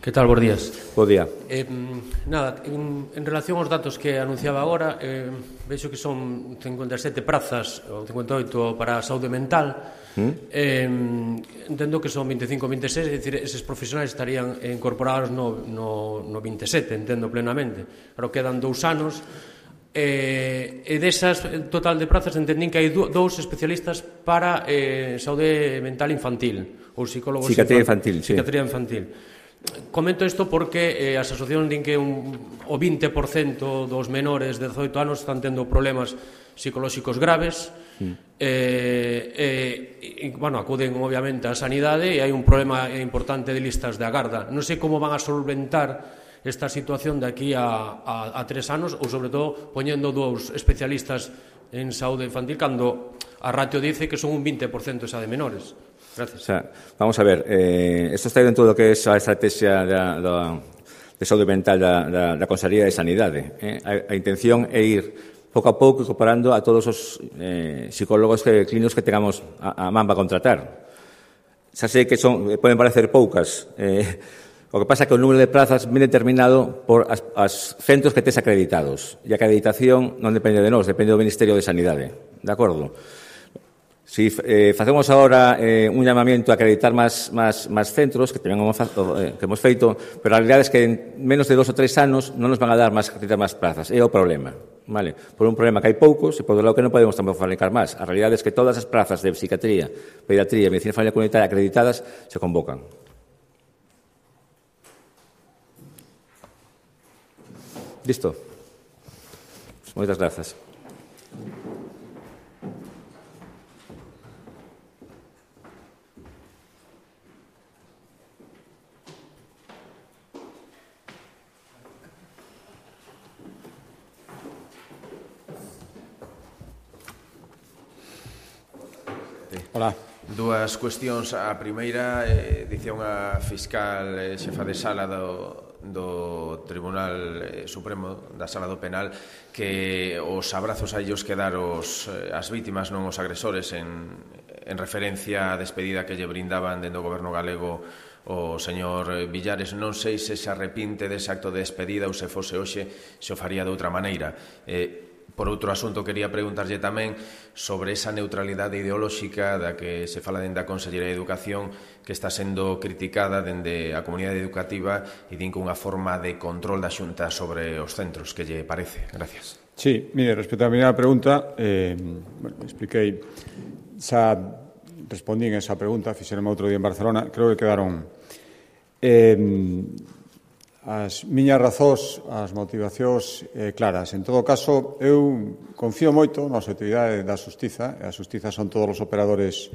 Que tal, bons días? Bo día. Nada, en relación aos datos que anunciaba agora, vexo que son 57 prazas, ou 58 para a saúde mental. Entendo que son 25 ou 26, é dicir, eses profesionais estarían incorporados no 27, entendo plenamente. Pero quedan 2 anos, e desas total de prazas entendín que hai 2 especialistas para saúde mental infantil, ou psicólogos infantil. Psiquiatría infantil. Comento isto porque as asociacións din que o 20% dos menores de 18 anos están tendo problemas psicolóxicos graves, bueno, acuden obviamente á sanidade e hai un problema importante de listas de agarda. Non sei como van a solventar esta situación de aquí a 3 anos, ou sobre todo poñendo 2 especialistas en saúde infantil cando a ratio dice que son un 20% esa de menores. Gracias. O sea, vamos a ver, esto está dentro do que é a estrategia de saúde mental da Consellería de Sanidade. A intención é ir pouco a pouco incorporando a todos os psicólogos clínicos que tengamos a man para contratar. Xa sei que poden parecer poucas, o que pasa é que o número de plazas viene determinado por as centros que tes acreditados, e a acreditación non depende de nós, depende do Ministerio de Sanidade, de acordo? Si facemos agora un llamamiento a acreditar máis centros, que tamén hemos feito, pero a realidade é que en menos de 2 ou 3 anos non nos van a dar acreditar máis plazas. É o problema. Vale? Por un problema que hai poucos, e por outro lado que non podemos tampouco fabricar máis. A realidade é que todas as plazas de psiquiatría, pediatría e medicina familiar comunitaria acreditadas se convocan. Listo. Moitas grazas. Hola. Dúas cuestións. A primeira, dicía unha fiscal xefa de sala do Tribunal Supremo, da Sala do Penal, que os abrazos a ellos que dar as vítimas, non os agresores, en referencia á despedida que lle brindaban dentro do Goberno galego o señor Villares. Non sei se arrepinte dese acto de despedida ou se fose hoxe se o faría de outra maneira. Por outro asunto, quería preguntarlle tamén sobre esa neutralidade ideolóxica da que se fala dende a Consellería de Educación, que está sendo criticada dende a comunidade educativa e din que unha forma de control da Xunta sobre os centros. Que lle parece? Gracias. Sí, mire, respecto á primeira pregunta, expliquei, xa respondín esa pregunta, fixeronme outro día en Barcelona, creo que quedaron as miñas razóns, as motivacións claras. En todo caso, eu confío moito na actividade da Xustiza, e a Xustiza son todos os operadores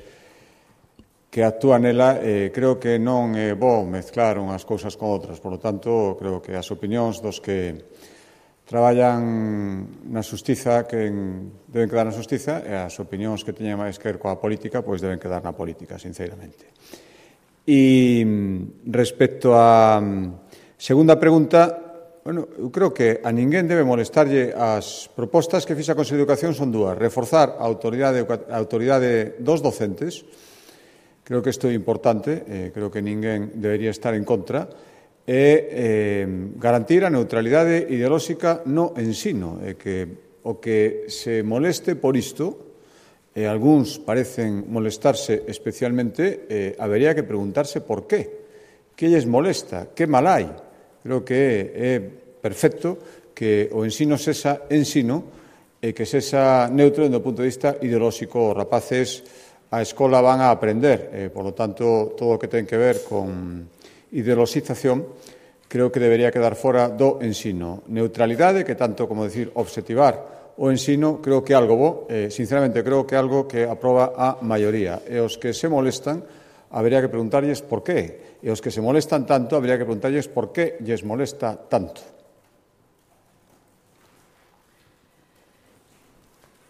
que actúan nela, creo que non é bo mezclar unhas cousas con outras. Por lo tanto, creo que as opinións dos que traballan na Xustiza que deben quedar na Xustiza e as opinións que teñen máis que ver coa política pois deben quedar na política, sinceramente. E respecto á segunda pregunta, eu creo que a ninguén debe molestarlle as propostas que fixa a Consello de Educación son dúas. Reforzar a autoridade dos docentes, creo que isto é importante, creo que ninguén debería estar en contra, e garantir a neutralidade ideolóxica no ensino, e que o que se moleste por isto, e algúns parecen molestarse especialmente, habería que preguntarse por qué. Que lles molesta? Que mal hai? Creo que é perfecto que o ensino sexa ensino e que sexa neutro do punto de vista ideolóxico. Os rapaces a escola van a aprender, por lo tanto, todo o que ten que ver con ideoloxización creo que debería quedar fora do ensino. Neutralidade, que tanto como decir obxectivar o ensino, creo que é algo bo, sinceramente creo que é algo que aproba a maioría. E os que se molestan, habería que preguntarlles por qué. E os que se molestan tanto, habría que preguntarlles por qué lles molesta tanto.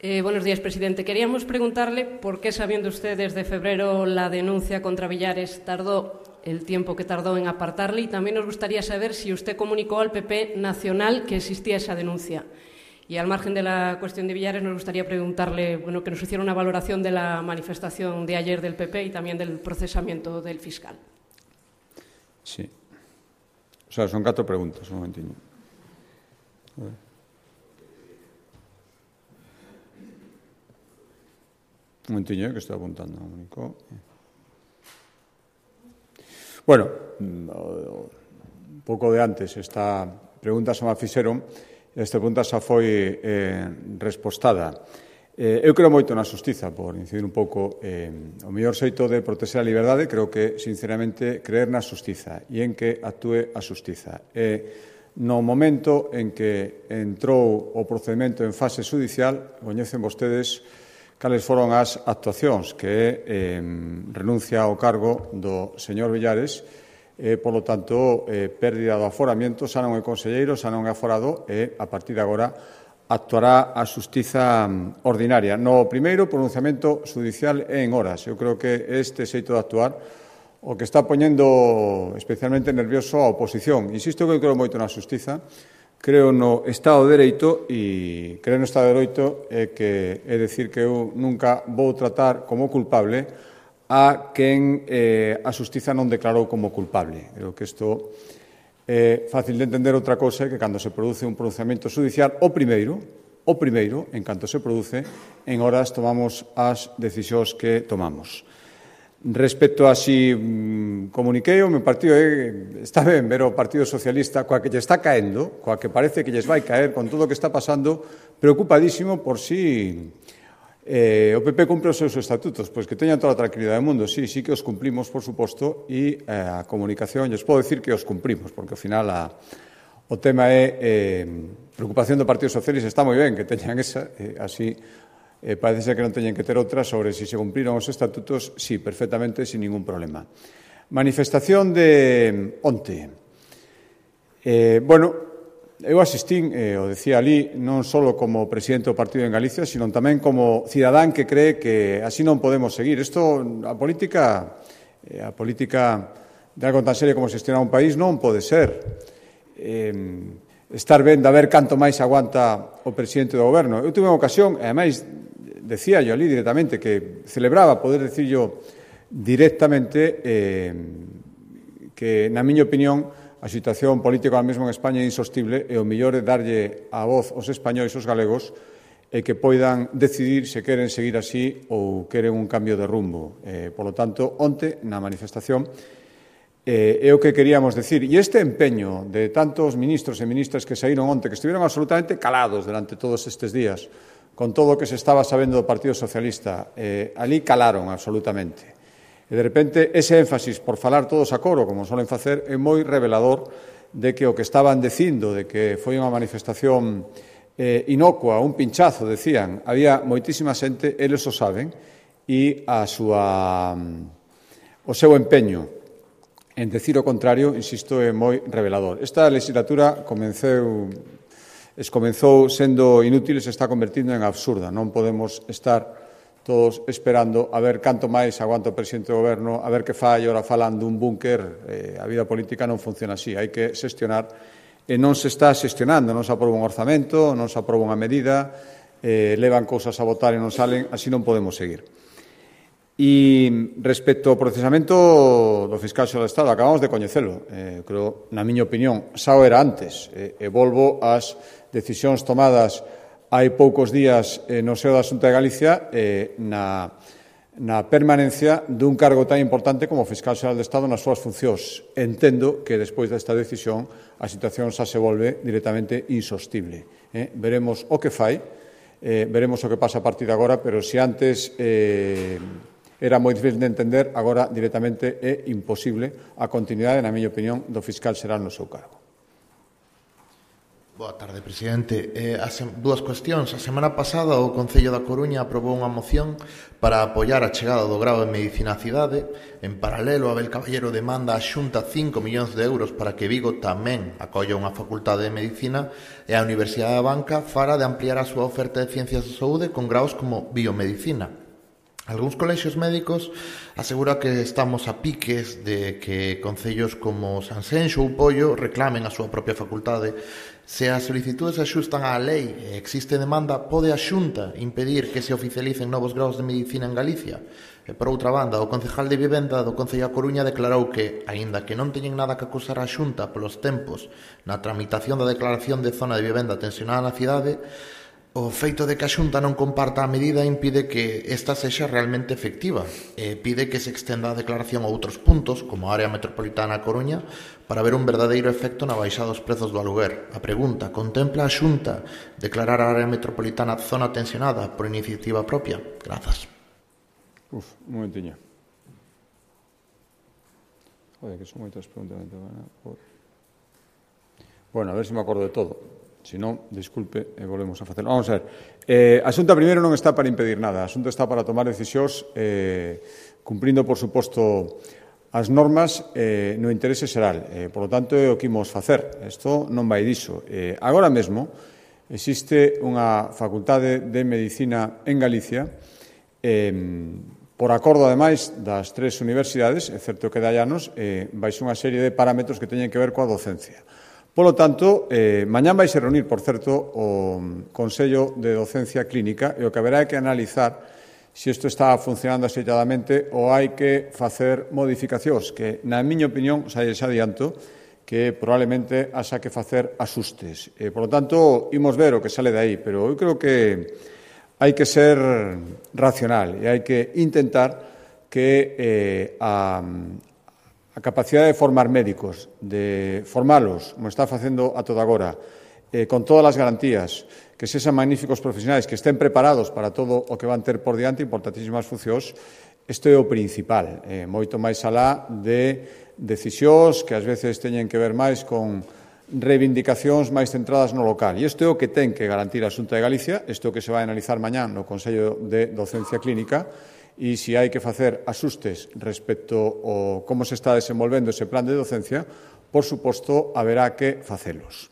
Buenos días, presidente. Queríamos preguntarle por qué, sabiendo usted desde febrero la denuncia contra Villares, tardó el tiempo que tardó en apartarle, y también nos gustaría saber si usted comunicó al PP nacional que existía esa denuncia. Y al margen de la cuestión de Villares, nos gustaría preguntarle que nos hiciera una valoración de la manifestación de ayer del PP y también del procesamiento del fiscal. Sí. O sea, son 4 preguntas, un momentiño. Un momentiño, que estou apuntando. Bueno, un pouco de antes, esta pregunta se me fixeron. Esta pregunta xa foi respostada. Eu creo moito na xustiza, por incidir un pouco. O mellor xeito de protexer a liberdade, creo que, sinceramente, creer na xustiza e en que actúe a xustiza. No momento en que entrou o procedimento en fase judicial, coñecen vostedes cales foron as actuacións, que é renuncia ao cargo do señor Villares, por lo tanto, pérdida do aforamiento, xa non é conselleiro, xa non é aforado, e a partir de agora actuará a xustiza ordinaria. No primeiro pronunciamento judicial é en horas. Eu creo que este xeito de actuar o que está poñendo especialmente nervioso a oposición. Insisto que eu creo moito na xustiza, creo no Estado de Dereito, e creo no Estado de Dereito é dicir que eu nunca vou tratar como culpable a quen a xustiza non declarou como culpable. Creo que isto é fácil de entender. Outra cousa é que cando se produce un pronunciamento judicial, o primeiro, en canto se produce, en horas tomamos as decisións que tomamos. Respecto a si comuniquei o meu partido, está ben ver o Partido Socialista coa que lle está caendo, coa que parece que lles vai caer con todo o que está pasando, preocupadísimo por si o PP cumpre os seus estatutos. Pois que teñan toda a tranquilidade do mundo. Sí que os cumplimos, por suposto, e a comunicación, lles podo dicir que os cumplimos, porque ao final o tema é preocupación do Partido Socialista. Está moi ben que teñan esa, así parece ser que non teñen que ter outra sobre si se cumpriron os estatutos. Sí, perfectamente, sin ningún problema. Manifestación de onte. Eu asistín, o decía ali, non só como presidente do partido en Galicia, sino tamén como cidadán que cree que así non podemos seguir. Isto, a política de algo tan serio como xestionar un país non pode ser estar ben de ver canto máis aguanta o presidente do goberno. Eu tuve unha ocasión, e ademais decía yo ali directamente que celebraba poder decir yo directamente que, na miña opinión, a situación política ahora mesmo en España é insostible e o mellor é darlle a voz aos españois, aos galegos, e que poidan decidir se queren seguir así ou queren un cambio de rumbo. Por lo tanto, onte, na manifestación, é o que queríamos decir. E este empeño de tantos ministros e ministras que saíron onte, que estiveron absolutamente calados durante todos estes días, con todo o que se estaba sabendo do Partido Socialista, ali calaron absolutamente. E, de repente, ese énfasis por falar todos a coro, como solen facer, é moi revelador de que o que estaban dicindo, de que foi unha manifestación inocua, un pinchazo, decían, había moitísima xente, eles o saben, e o seu empeño en decir o contrario, insisto, é moi revelador. Esta legislatura comenzou sendo inútil e se está convertindo en absurda. Non podemos estar todos esperando a ver canto máis aguanta o presidente do goberno, a ver que fai, ora falan dun búnker. A vida política non funciona así, hai que xestionar, e non se está xestionando, non se aproba un orzamento, non se aproba unha medida, levan cousas a votar e non salen, así non podemos seguir. E respecto ao procesamento do fiscal xeral do Estado, acabamos de coñecelo, creo, na miña opinión, xa o era antes, e volvo ás decisións tomadas hai poucos días no seo da Xunta de Galicia na permanencia dun cargo tan importante como fiscal xeral do Estado nas súas funcións. Entendo que despois desta decisión a situación xa se volve directamente insostible. Veremos o que fai, veremos o que pasa a partir de agora, pero se antes era moi difícil de entender, agora directamente é imposible a continuidade, na miña opinión, do fiscal xeral no seu cargo. Boa tarde, presidente. Dúas cuestións. A semana pasada o Concello da Coruña aprobou unha moción para apoiar a chegada do grao de Medicina á cidade. En paralelo, Abel Caballero demanda a Xunta 5 millóns de euros para que Vigo tamén acolla unha facultade de Medicina e a Universidade da Banca fara de ampliar a súa oferta de ciencias de saúde con graos como biomedicina. Algúns colexios médicos asegura que estamos a piques de que concellos como Sanxenxo ou Pollo reclamen a súa propia facultade. Se as solicitudes axustan á lei e existe demanda, pode a Xunta impedir que se oficialicen novos graus de medicina en Galicia? E, por outra banda, o concejal de Vivenda do Concello da Coruña declarou que, aínda que non teñen nada que acusar a Xunta polos tempos na tramitación da declaración de zona de vivenda tensionada na cidade, o feito de que a Xunta non comparta a medida impide que esta sexa realmente efectiva e pide que se extenda a declaración a outros puntos, como a área metropolitana a Coruña, para ver un verdadeiro efecto na baixada dos prezos do aluguer. A pregunta: contempla a Xunta declarar a área metropolitana zona tensionada por iniciativa propia? Grazas. Un momentiño. Joder, que son moitas preguntas. Bueno, a ver se me acordo de todo. Se non, disculpe, volvemos a facelo. Vamos a ver. A Xunta primeiro non está para impedir nada. A Xunta está para tomar decisións cumprindo, por suposto, as normas no interese xeral. Por lo tanto, é o que imos facer. Isto non vai diso. Agora mesmo existe unha facultade de Medicina en Galicia por acordo, ademais, das 3 universidades, é certo que dai anos, baixo unha serie de parámetros que teñen que ver coa docencia. Polo tanto, mañán vai se reunir, por certo, o Consello de Docencia Clínica e o que haberá que analizar se isto está funcionando axeitadamente ou hai que facer modificacións que, na miña opinión, xa adianto, que probablemente haxa que facer axustes. Por lo tanto, imos ver o que sale de aí, pero eu creo que hai que ser racional e hai que intentar que a capacidade de formar médicos, de formalos, como está facendo a toda agora, con todas as garantías, que sexan magníficos profesionais, que estén preparados para todo o que van ter por diante, importantísimas funcións, isto é o principal, moito máis alá de decisións que ás veces teñen que ver máis con reivindicacións máis centradas no local. E isto é o que ten que garantir a Xunta de Galicia, isto é o que se vai analizar mañán no Consello de Docencia Clínica, e se hai que facer axustes respecto ao como se está desenvolvendo ese plan de docencia, por suposto, haberá que facelos.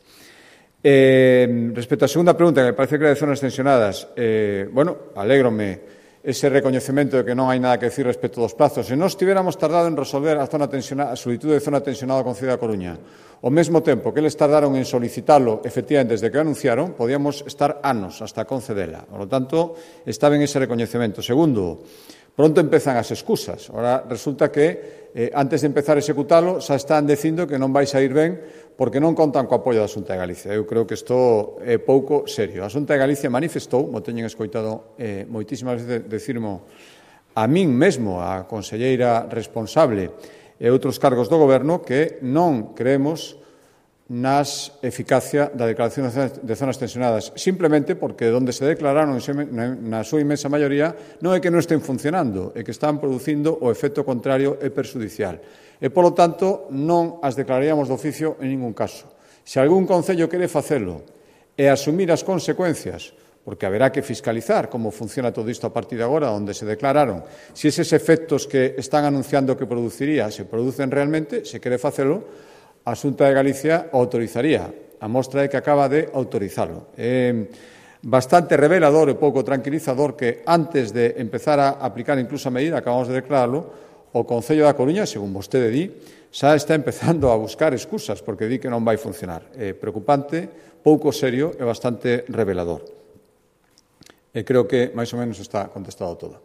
Respecto á segunda pregunta, que me parece que era de zonas tensionadas, alégrome ese recoñecemento de que non hai nada que decir respecto dos plazos. Se nós tiveramos tardado en resolver a solicitud de zona tensionada do Concello da Coruña, ao mesmo tempo que eles tardaron en solicitalo, efectivamente, desde que anunciaron, podíamos estar anos hasta concedela. Por lo tanto, está ben ese recoñecemento. Segundo, Pronto empezan as excusas. Ahora resulta que antes de empezar a executalo xa están dicindo que non vai sair ben porque non contan co apoio da Xunta de Galicia. Eu creo que isto é pouco serio. A Xunta de Galicia manifestou, mo teñen escoitado moitísimas veces decirmo a min mesmo, a conselleira responsable e outros cargos do Goberno, que non creemos nas eficacia da declaración de zonas tensionadas, simplemente porque onde se declararon na súa inmensa maioría non é que non estén funcionando, é que están producindo o efecto contrario e perxudicial. E, polo tanto, non as declararíamos de oficio en ningún caso. Se algún concello quere facelo e asumir as consecuencias, porque haberá que fiscalizar como funciona todo isto a partir de agora, onde se declararon, se eses efectos que están anunciando que produciría se producen realmente, se quere facelo, a Xunta de Galicia autorizaría. A mostra é que acaba de autorizalo. É bastante revelador e pouco tranquilizador que antes de empezar a aplicar incluso a medida, acabamos de declararlo, o Concello da Coruña, según vostede di, xa está empezando a buscar excusas porque di que non vai funcionar. É preocupante, pouco serio e bastante revelador. E creo que máis ou menos está contestado todo.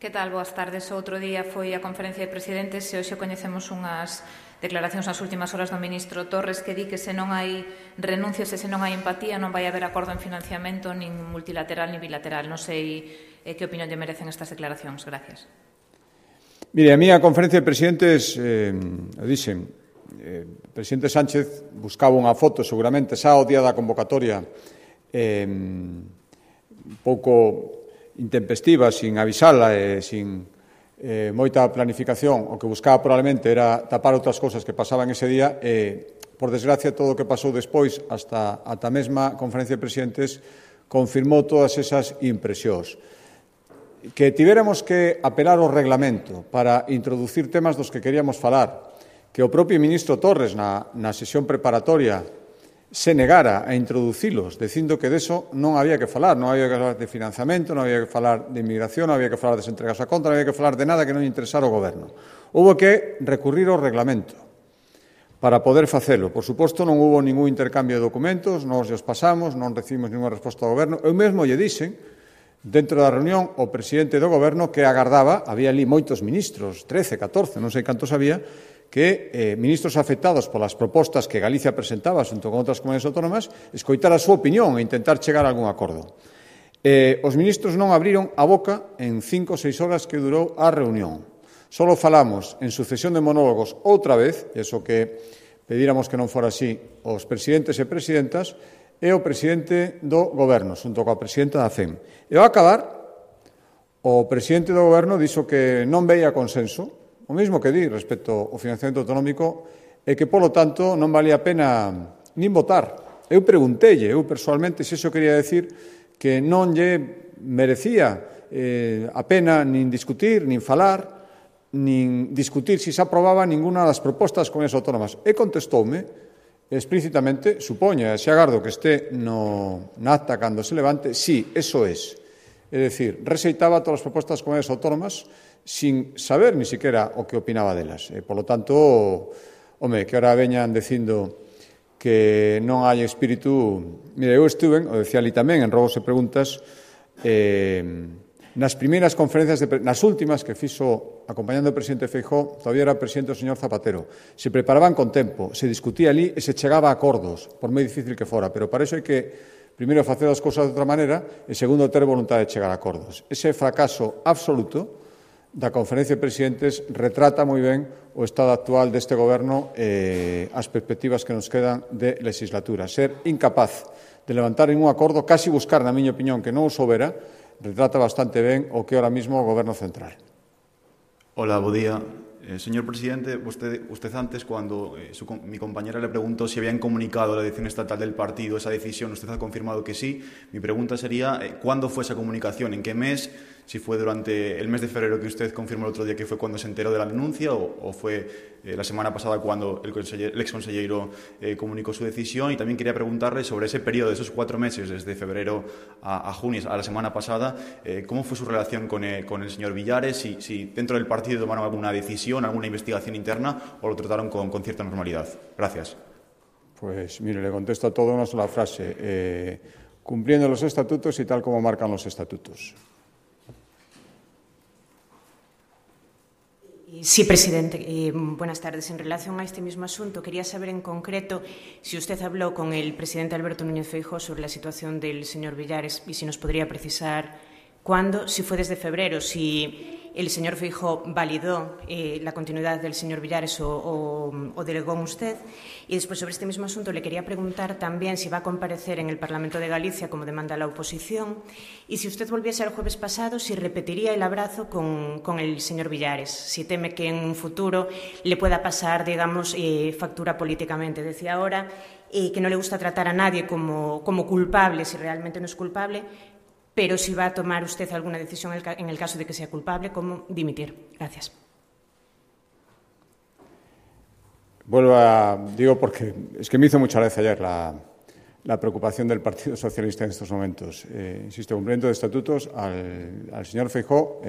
Que tal? Boas tardes. Outro día foi a conferencia de presidentes e hoxe coñecemos unhas declaracións nas últimas horas do ministro Torres que di que se non hai renuncias e se non hai empatía non vai haber acordo en financiamento nin multilateral nin bilateral. Non sei que opinión lle merecen estas declaracións. Gracias. Mire, a miña conferencia de presidentes, dixen, o presidente Sánchez buscaba unha foto seguramente xa o día da convocatoria un pouco intempestiva, sin avisala e sin moita planificación. O que buscaba probablemente era tapar outras cousas que pasaban ese día e, por desgracia, todo o que pasou despois hasta a mesma conferencia de presidentes confirmou todas esas impresións. Que tivéramos que apelar ao reglamento para introducir temas dos que queríamos falar, que o propio ministro Torres na sesión preparatoria se negara a introducilos, dicindo que deso non había que falar, non había que falar de financiamento, non había que falar de inmigración, non había que falar de entregas a conta, non había que falar de nada que non interesara ao Goberno. Houbo que recurrir ao reglamento para poder facelo. Por suposto, non houbo ningún intercambio de documentos, nos os pasamos, non recibimos ninguna resposta do Goberno. Eu mesmo lle dixen, dentro da reunión, o presidente do Goberno que agardaba, había ali moitos ministros, 13, 14, non sei cantos había, que ministros afectados polas propostas que Galicia presentaba xunto con outras comunidades autónomas escoitar a súa opinión e intentar chegar a algún acordo. Os ministros non abriron a boca en 5 ou 6 horas que durou a reunión. Solo falamos en sucesión de monólogos outra vez, e iso que pedíramos que non fora así, os presidentes e presidentas e o presidente do Goberno, xunto coa presidenta da FEM. E ao acabar, o presidente do Goberno dixo que non veía consenso, o mesmo que di respecto ao financiamento autonómico, e que, polo tanto, non valía a pena nin votar. Eu preguntelle, eu persoalmente, se iso quería decir que non lle merecía a pena nin discutir, nin falar, nin discutir se aprobaba ninguna das propostas con as autónomas. E contestoume explícitamente, supoño, e se agardo que este na acta cando se levante, sí, eso es. É dicir, rexeitaba todas as propostas con as autónomas sin saber ni siquiera o que opinaba delas. E, polo tanto, home, que ahora veñan dicindo que non hai espírito... Mire, eu estuve, o decía ali tamén, en Robos e Preguntas, nas primeiras conferencias, nas últimas que fixo acompañando o presidente Feijóo, todavía era presidente o señor Zapatero. Se preparaban con tempo, se discutía ali e se chegaba a acordos, por moi difícil que fora, pero para iso hai que primeiro facer as cousas de outra maneira e segundo ter voluntade de chegar a acordos. Ese fracaso absoluto da conferencia de presidentes retrata moi ben o estado actual deste Goberno e as perspectivas que nos quedan de legislatura. Ser incapaz de levantar ningún acordo, casi buscar, na miña opinión, que non o soubera, retrata bastante ben o que ahora mismo o Goberno central. Hola, bo día. Señor presidente, usted antes, cuando mi compañera le preguntó si habían comunicado a la dirección estatal del partido esa decisión, usted ha confirmado que sí. Mi pregunta sería, ¿cuándo fue esa comunicación? ¿En qué mes? Si fue durante el mes de febrero que usted confirmó el otro día que fue cuando se enteró de la denuncia o fue la semana pasada cuando el exconsellero comunicó su decisión. Y también quería preguntarle sobre ese periodo de esos 4 meses, desde febrero a junio, a la semana pasada, ¿cómo fue su relación con el señor Villares? Si dentro del partido tomaron alguna decisión, alguna investigación interna o lo trataron con cierta normalidad. Gracias. Pues mire, le contesto a todo una sola frase. Cumpliendo los estatutos y tal como marcan los estatutos. Sí, presidente. Buenas tardes. En relación a este mismo asunto, quería saber en concreto si usted habló con el presidente Alberto Núñez Feijóo sobre la situación del señor Villares y si nos podría precisar cuándo, si fue desde febrero, si el señor Feijóo validó la continuidad del señor Villares o delegó en usted. Y después, sobre este mismo asunto, le quería preguntar también si va a comparecer en el Parlamento de Galicia, como demanda la oposición, y si usted volviese el jueves pasado, si repetiría el abrazo con el señor Villares, si teme que en un futuro le pueda pasar, digamos, factura políticamente. Decía ahora que no le gusta tratar a nadie como culpable, si realmente no es culpable, pero si va a tomar usted alguna decisión en el caso de que sea culpable, como dimitir. Gracias. Digo porque es que me hizo mucha gracia ayer la preocupación del Partido Socialista en estos momentos. Insisto, cumplimiento de estatutos, al señor Feijóo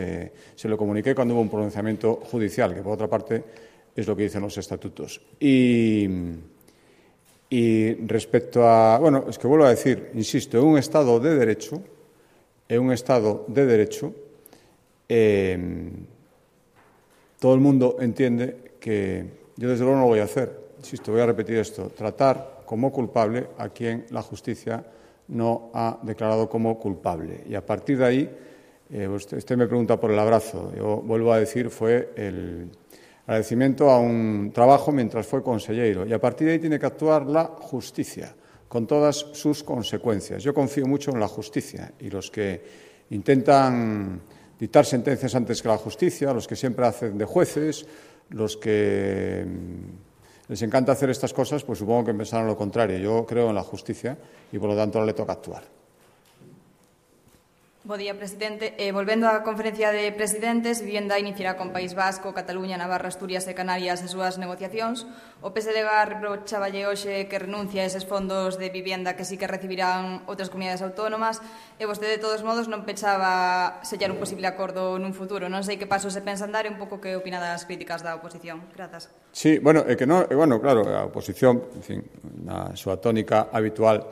se lo comuniqué cuando hubo un pronunciamiento judicial, que por otra parte es lo que dicen los estatutos. Y respecto a... Bueno, es que vuelvo a decir, insisto, en un Estado de Derecho, todo el mundo entiende que yo desde luego no lo voy a hacer. Insisto, voy a repetir esto, tratar como culpable a quien la justicia no ha declarado como culpable. Y a partir de ahí, usted me pregunta por el abrazo. Yo vuelvo a decir, fue el agradecimiento a un trabajo mientras fue consellero. Y a partir de ahí tiene que actuar la justicia, con todas sus consecuencias. Yo confío mucho en la justicia y los que intentan dictar sentencias antes que la justicia, los que siempre hacen de jueces, los que les encanta hacer estas cosas, pues supongo que pensarán lo contrario. Yo creo en la justicia y, por lo tanto, ahora le toca actuar. Bo día, presidente. Volvendo á conferencia de presidentes, Vivienda iniciará con País Vasco, Cataluña, Navarra, Asturias e Canarias as súas negociacións. O PSDG reprochaballe hoxe que renuncia a eses fondos de vivienda que sí que recibirán outras comunidades autónomas e vostede, de todos modos, non pechaba sellar un posible acordo nun futuro. Non sei que paso se pensa andar e un pouco que opina das críticas da oposición. Grazas. Sí, bueno, claro, a oposición, en fin, na súa tónica habitual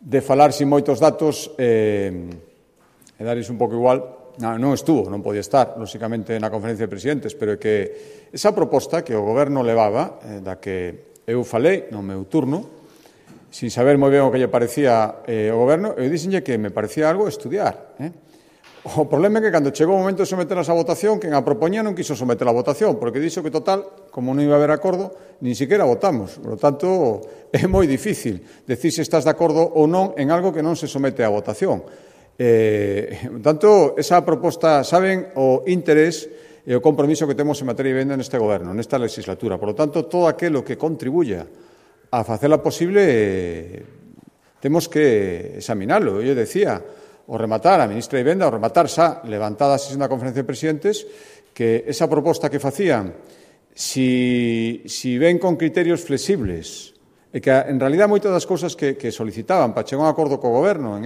de falar sin moitos datos e dares un pouco igual, non estuvo, non podía estar, lóxicamente, na conferencia de presidentes, pero que esa proposta que o Goberno levaba, da que eu falei no meu turno, sin saber moi ben o que lle parecía o Goberno, eu dixenlle que me parecía algo estudiar. O problema é que cando chegou o momento de someterlas a votación, quen a propoñía non quiso someter a votación, porque dixo que, total, como non iba a haber acordo, nin siquiera votamos. Por lo tanto, é moi difícil decir se estás de acordo ou non en algo que non se somete a votación. Tanto, esa proposta, saben o interés e o compromiso que temos en materia de vivenda neste Goberno, nesta legislatura. Por lo tanto, todo aquilo que contribuya a facela posible temos que examinalo. Eu decía, o rematar a ministra de Vivenda, o rematar xa levantada a sesión da conferencia de presidentes, que esa proposta que facían, si ven con criterios flexibles, e que en realidad moitas das cousas que solicitaban para chegar a un acordo co Goberno en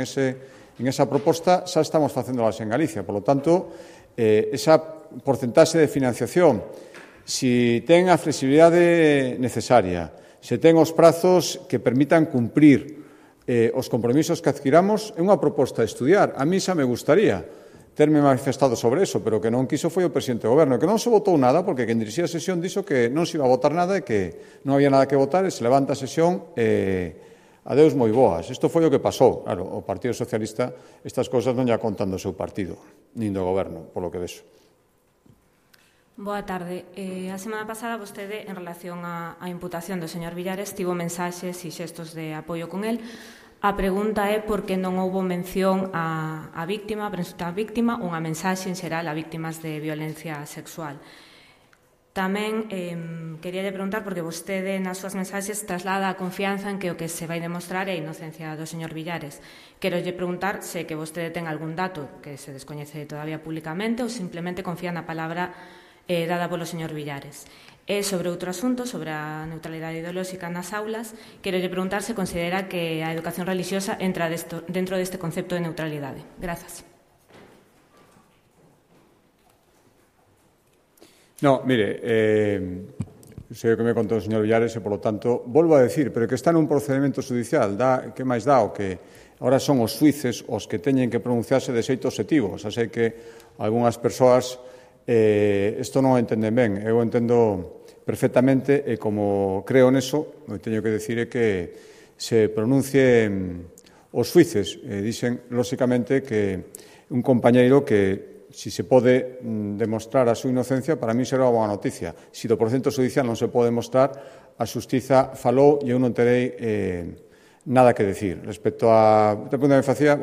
esa proposta xa estamos facéndolas en Galicia. Por lo tanto, esa porcentaxe de financiación, si ten a flexibilidade necesaria, se ten os prazos que permitan cumprir os compromisos que adquiramos, é unha proposta a estudiar. A mí xa me gustaría terme manifestado sobre eso, pero que non quiso foi o presidente do Goberno, que non se votou nada, porque quen dirixía a sesión dixo que non se iba a votar nada e que non había nada que votar, e se levanta a sesión adeus moi boas. Isto foi o que pasou. Claro, o Partido Socialista estas cousas non lla contan do seu partido, nin do Goberno, polo que vexo. Boa tarde. A semana pasada vostede, en relación á imputación do señor Villares, tivo mensaxes e xestos de apoio con el. A pregunta é por que non houbo mención á víctima, a presunta víctima, unha mensaxe en xeral a víctimas de violencia sexual. Tamén quería preguntar, porque vostede nas súas mensaxes traslada a confianza en que o que se vai demostrar é a inocencia do señor Villares. Quero lle preguntar se que vostede ten algún dato que se descoñece todavía públicamente ou simplemente confía na palabra dada polo señor Villares. E sobre outro asunto, sobre a neutralidade ideolóxica nas aulas, quero lle preguntar se considera que a educación religiosa entra dentro deste concepto de neutralidade. Grazas. No, mire, sei o que me contou o señor Villares e, por lo tanto, volvo a decir, pero que está nun procedimento judicial, que máis dá o que ahora son os xuíces os que teñen que pronunciarse de xeito obxectivo. Xa sei que algunhas persoas isto non o entenden ben. Eu entendo perfectamente e como creo neso, o que teño que decir é que se pronuncien os xuíces. Dixen, lóxicamente, que un compañeiro que si se pode demostrar a súa inocencia, para mí será unha boa noticia. Si do procedimento judicial non se pode demostrar, a xustiza falou e eu non terei nada que decir. Respecto a outra pregunta que me facía,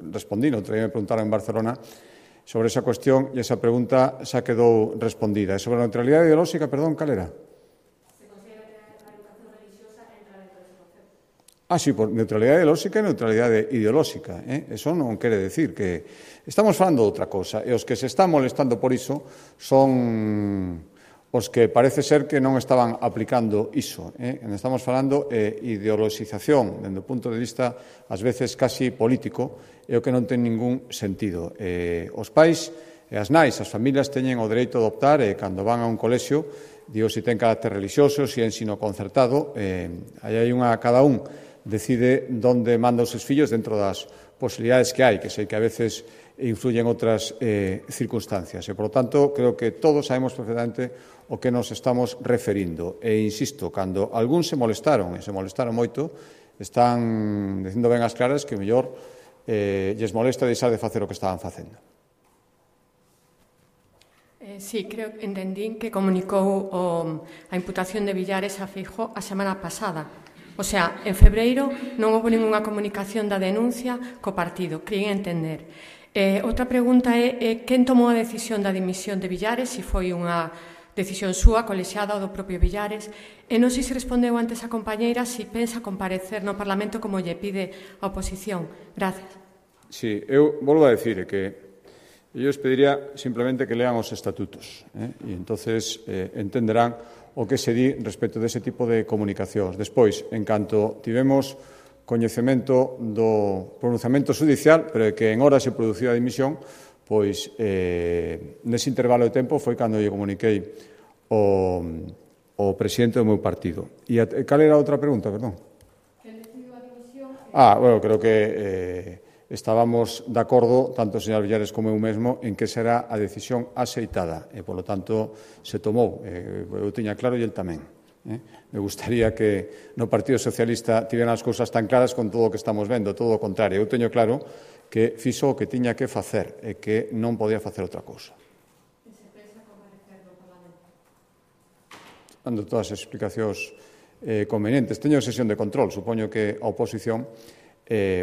respondí, non me preguntaron en Barcelona sobre esa cuestión e esa pregunta xa quedou respondida. E sobre a neutralidade ideolóxica, perdón, cal era? Sí, por neutralidade ideolóxica e neutralidade ideolóxica. Eso non quere decir que... Estamos falando de outra cosa, e os que se están molestando por iso son os que parece ser que non estaban aplicando iso. Estamos falando de ideoloxización, dende o punto de vista, ás veces, casi político, e o que non ten ningún sentido. Os pais e as nais, as familias, teñen o dereito de optar, e cando van a un colexio, digo, se ten carácter religioso, se é ensino concertado, aí hai cada un decide onde manda os seus fillos dentro das posibilidades que hai, que sei que a veces influyen outras circunstancias. E, por lo tanto, creo que todos sabemos perfectamente o que nos estamos referindo. E, insisto, cando algún se molestaron, e se molestaron moito, están dicindo ben as claras que mellor lles molesta deixar de facer o que estaban facendo. Sí, creo que entendín que comunicou a imputación de Villares a Feijóo a semana pasada. O sea, en febreiro non houve ninguna comunicación da denuncia co partido, creí entender. Outra pregunta é quen tomou a decisión da dimisión de Villares, se foi unha decisión súa, colexiada ou do propio Villares, e non sei se respondeu antes a compañeira se pensa comparecer no Parlamento como lle pide a oposición. Gracias. Sí, eu volvo a decir que eu os pediría simplemente que lean os estatutos e entonces entenderán o que se di respecto dese tipo de comunicacións. Despois, en canto tivemos coñecemento do pronunciamento judicial, pero que en hora se produciu a dimisión, pois nese intervalo de tempo foi cando lle comuniquei o presidente do meu partido. E cal era a outra pregunta, perdón? Quen decidiu a dimisión? Creo que estábamos de acordo, tanto o señor Villares como eu mesmo, en que será a decisión aceitada e, polo tanto, se tomou. Eu tiña claro e el tamén. Me gustaría que no Partido Socialista tiveran as cousas tan claras con todo o que estamos vendo, todo o contrario. Eu teño claro que fixo o que tiña que facer e que non podía facer outra cousa. E se pensa comparecer no Parlamento? Dando todas as explicacións convenientes. Teño sesión de control, supoño que a oposición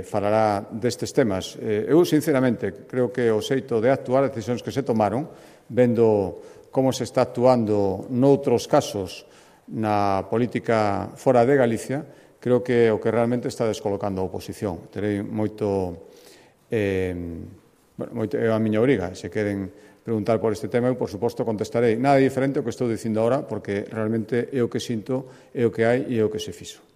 falará destes temas. Eu, sinceramente, creo que o xeito de actuar, as decisións que se tomaron, vendo como se está actuando noutros casos na política fora de Galicia, creo que o que realmente está descolocando a oposición. Terei moito é a miña obriga. Se queren preguntar por este tema, eu, por suposto, contestarei. Nada diferente ao que estou dicindo agora, porque realmente é o que sinto, é o que hai e é o que se fixo.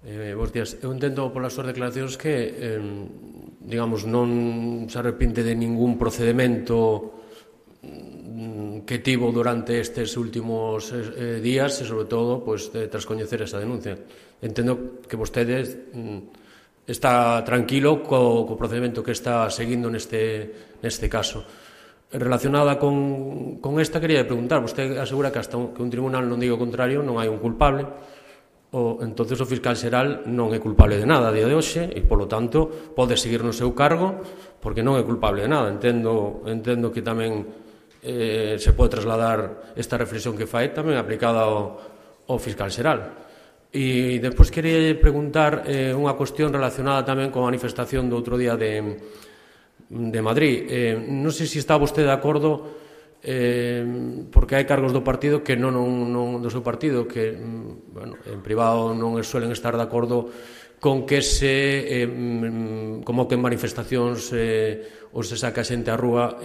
Bos días. Eu entendo polas súas declaracións que, digamos, non se arrepinte de ningún procedimento que tivo durante estes últimos días e, sobre todo, tras coñecer esa denuncia. Entendo que vostede está tranquilo co procedimento que está seguindo neste caso. Relacionada con esta, quería preguntar, vostede asegura que hasta que un tribunal non diga o contrario non hai un culpable, entonces o fiscal xeral non é culpable de nada a día de hoxe e, polo tanto, pode seguir no seu cargo porque non é culpable de nada. Entendo que tamén se pode trasladar esta reflexión que fai tamén aplicada ao fiscal xeral. E despois quería preguntar unha cuestión relacionada tamén coa manifestación do outro día de Madrid. Non sei se está vostede de acordo porque hai cargos do partido que non do seu partido que en privado non suelen estar de acordo con que se convoquen manifestacións ou se saca xente á rúa,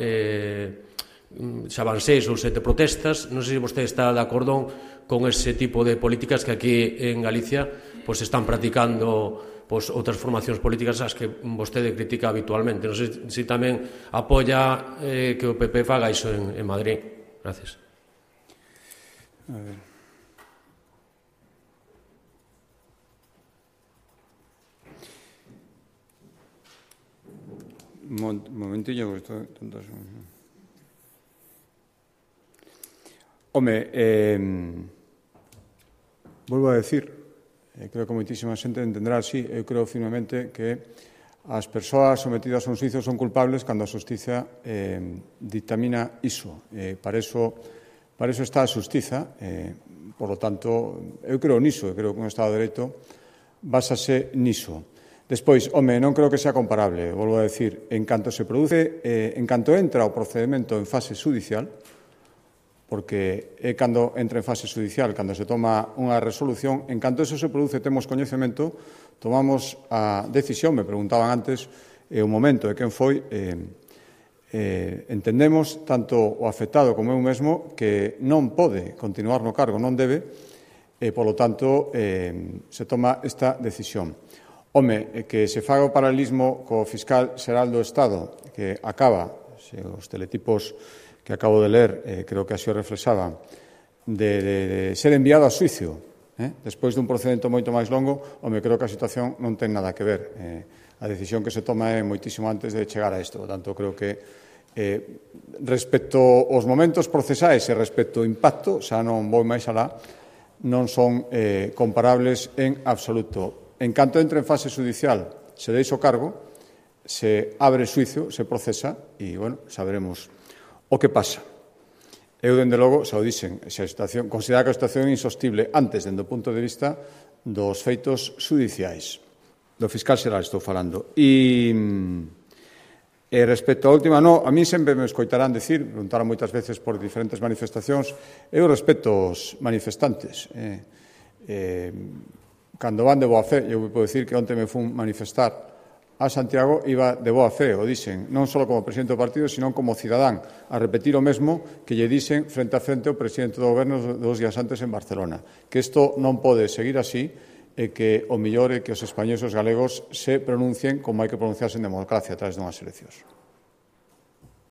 xa van 6 ou 7 protestas. Non sei se vostede está de acordo con ese tipo de políticas que aquí en Galicia están practicando outras formacións políticas as que vostede critica habitualmente. Non sei se tamén apoia que o PP faga iso en Madrid. Gracias. A ver. Un momentillo, porque estou tonto. Home, volvo a decir, creo que moitísima xente entenderá así, eu creo firmemente que as persoas sometidas a un xuizo son culpables cando a xustiza dictamina iso. Para eso está a xustiza. Por lo tanto, eu creo niso, eu creo que un Estado de Dereito básase niso. Despois, home, non creo que sea comparable, volvo a decir, en canto se produce, en canto entra o procedimento en fase judicial, porque é cando entra en fase judicial, cando se toma unha resolución, en canto eso se produce, temos coñecemento, tomamos a decisión, me preguntaban antes, o momento de quen foi, entendemos, tanto o afectado como eu mesmo, que non pode continuar no cargo, non debe, e, polo tanto, se toma esta decisión. Home, que se faga o paralelismo co fiscal xeral do Estado, que acaba, se os teletipos que acabo de ler, creo que así o reflexaban, de ser enviado a xuicio, despois dun procedimento moito máis longo, home, creo que a situación non ten nada que ver. A decisión que se toma é moitísimo antes de chegar a isto. Por tanto, creo que respecto aos momentos procesais e respecto ao impacto, xa non vou máis alá, non son comparables en absoluto. En canto entre en fase judicial, se deixa o cargo, se abre xuicio, se procesa e, bueno, saberemos o que pasa. Eu, dende logo, xa o dixen, se a situación, considera que a situación é insostible antes, dende o punto de vista dos feitos judiciais. Do fiscal xeral estou falando. E respecto á última, a mí sempre me escoitarán decir, preguntaron moitas veces por diferentes manifestacións, eu respeto os manifestantes. Cando van de boa fe, eu podo decir que onte me fun manifestar a Santiago, iba de boa fe, o dixen, non só como presidente do partido, sino como cidadán, a repetir o mesmo que lle dixen frente a frente o presidente do goberno 2 días antes en Barcelona, que isto non pode seguir así e que o mellor é que os españoles e os galegos se pronuncien como hai que pronunciarse en democracia a través dunhas eleccións.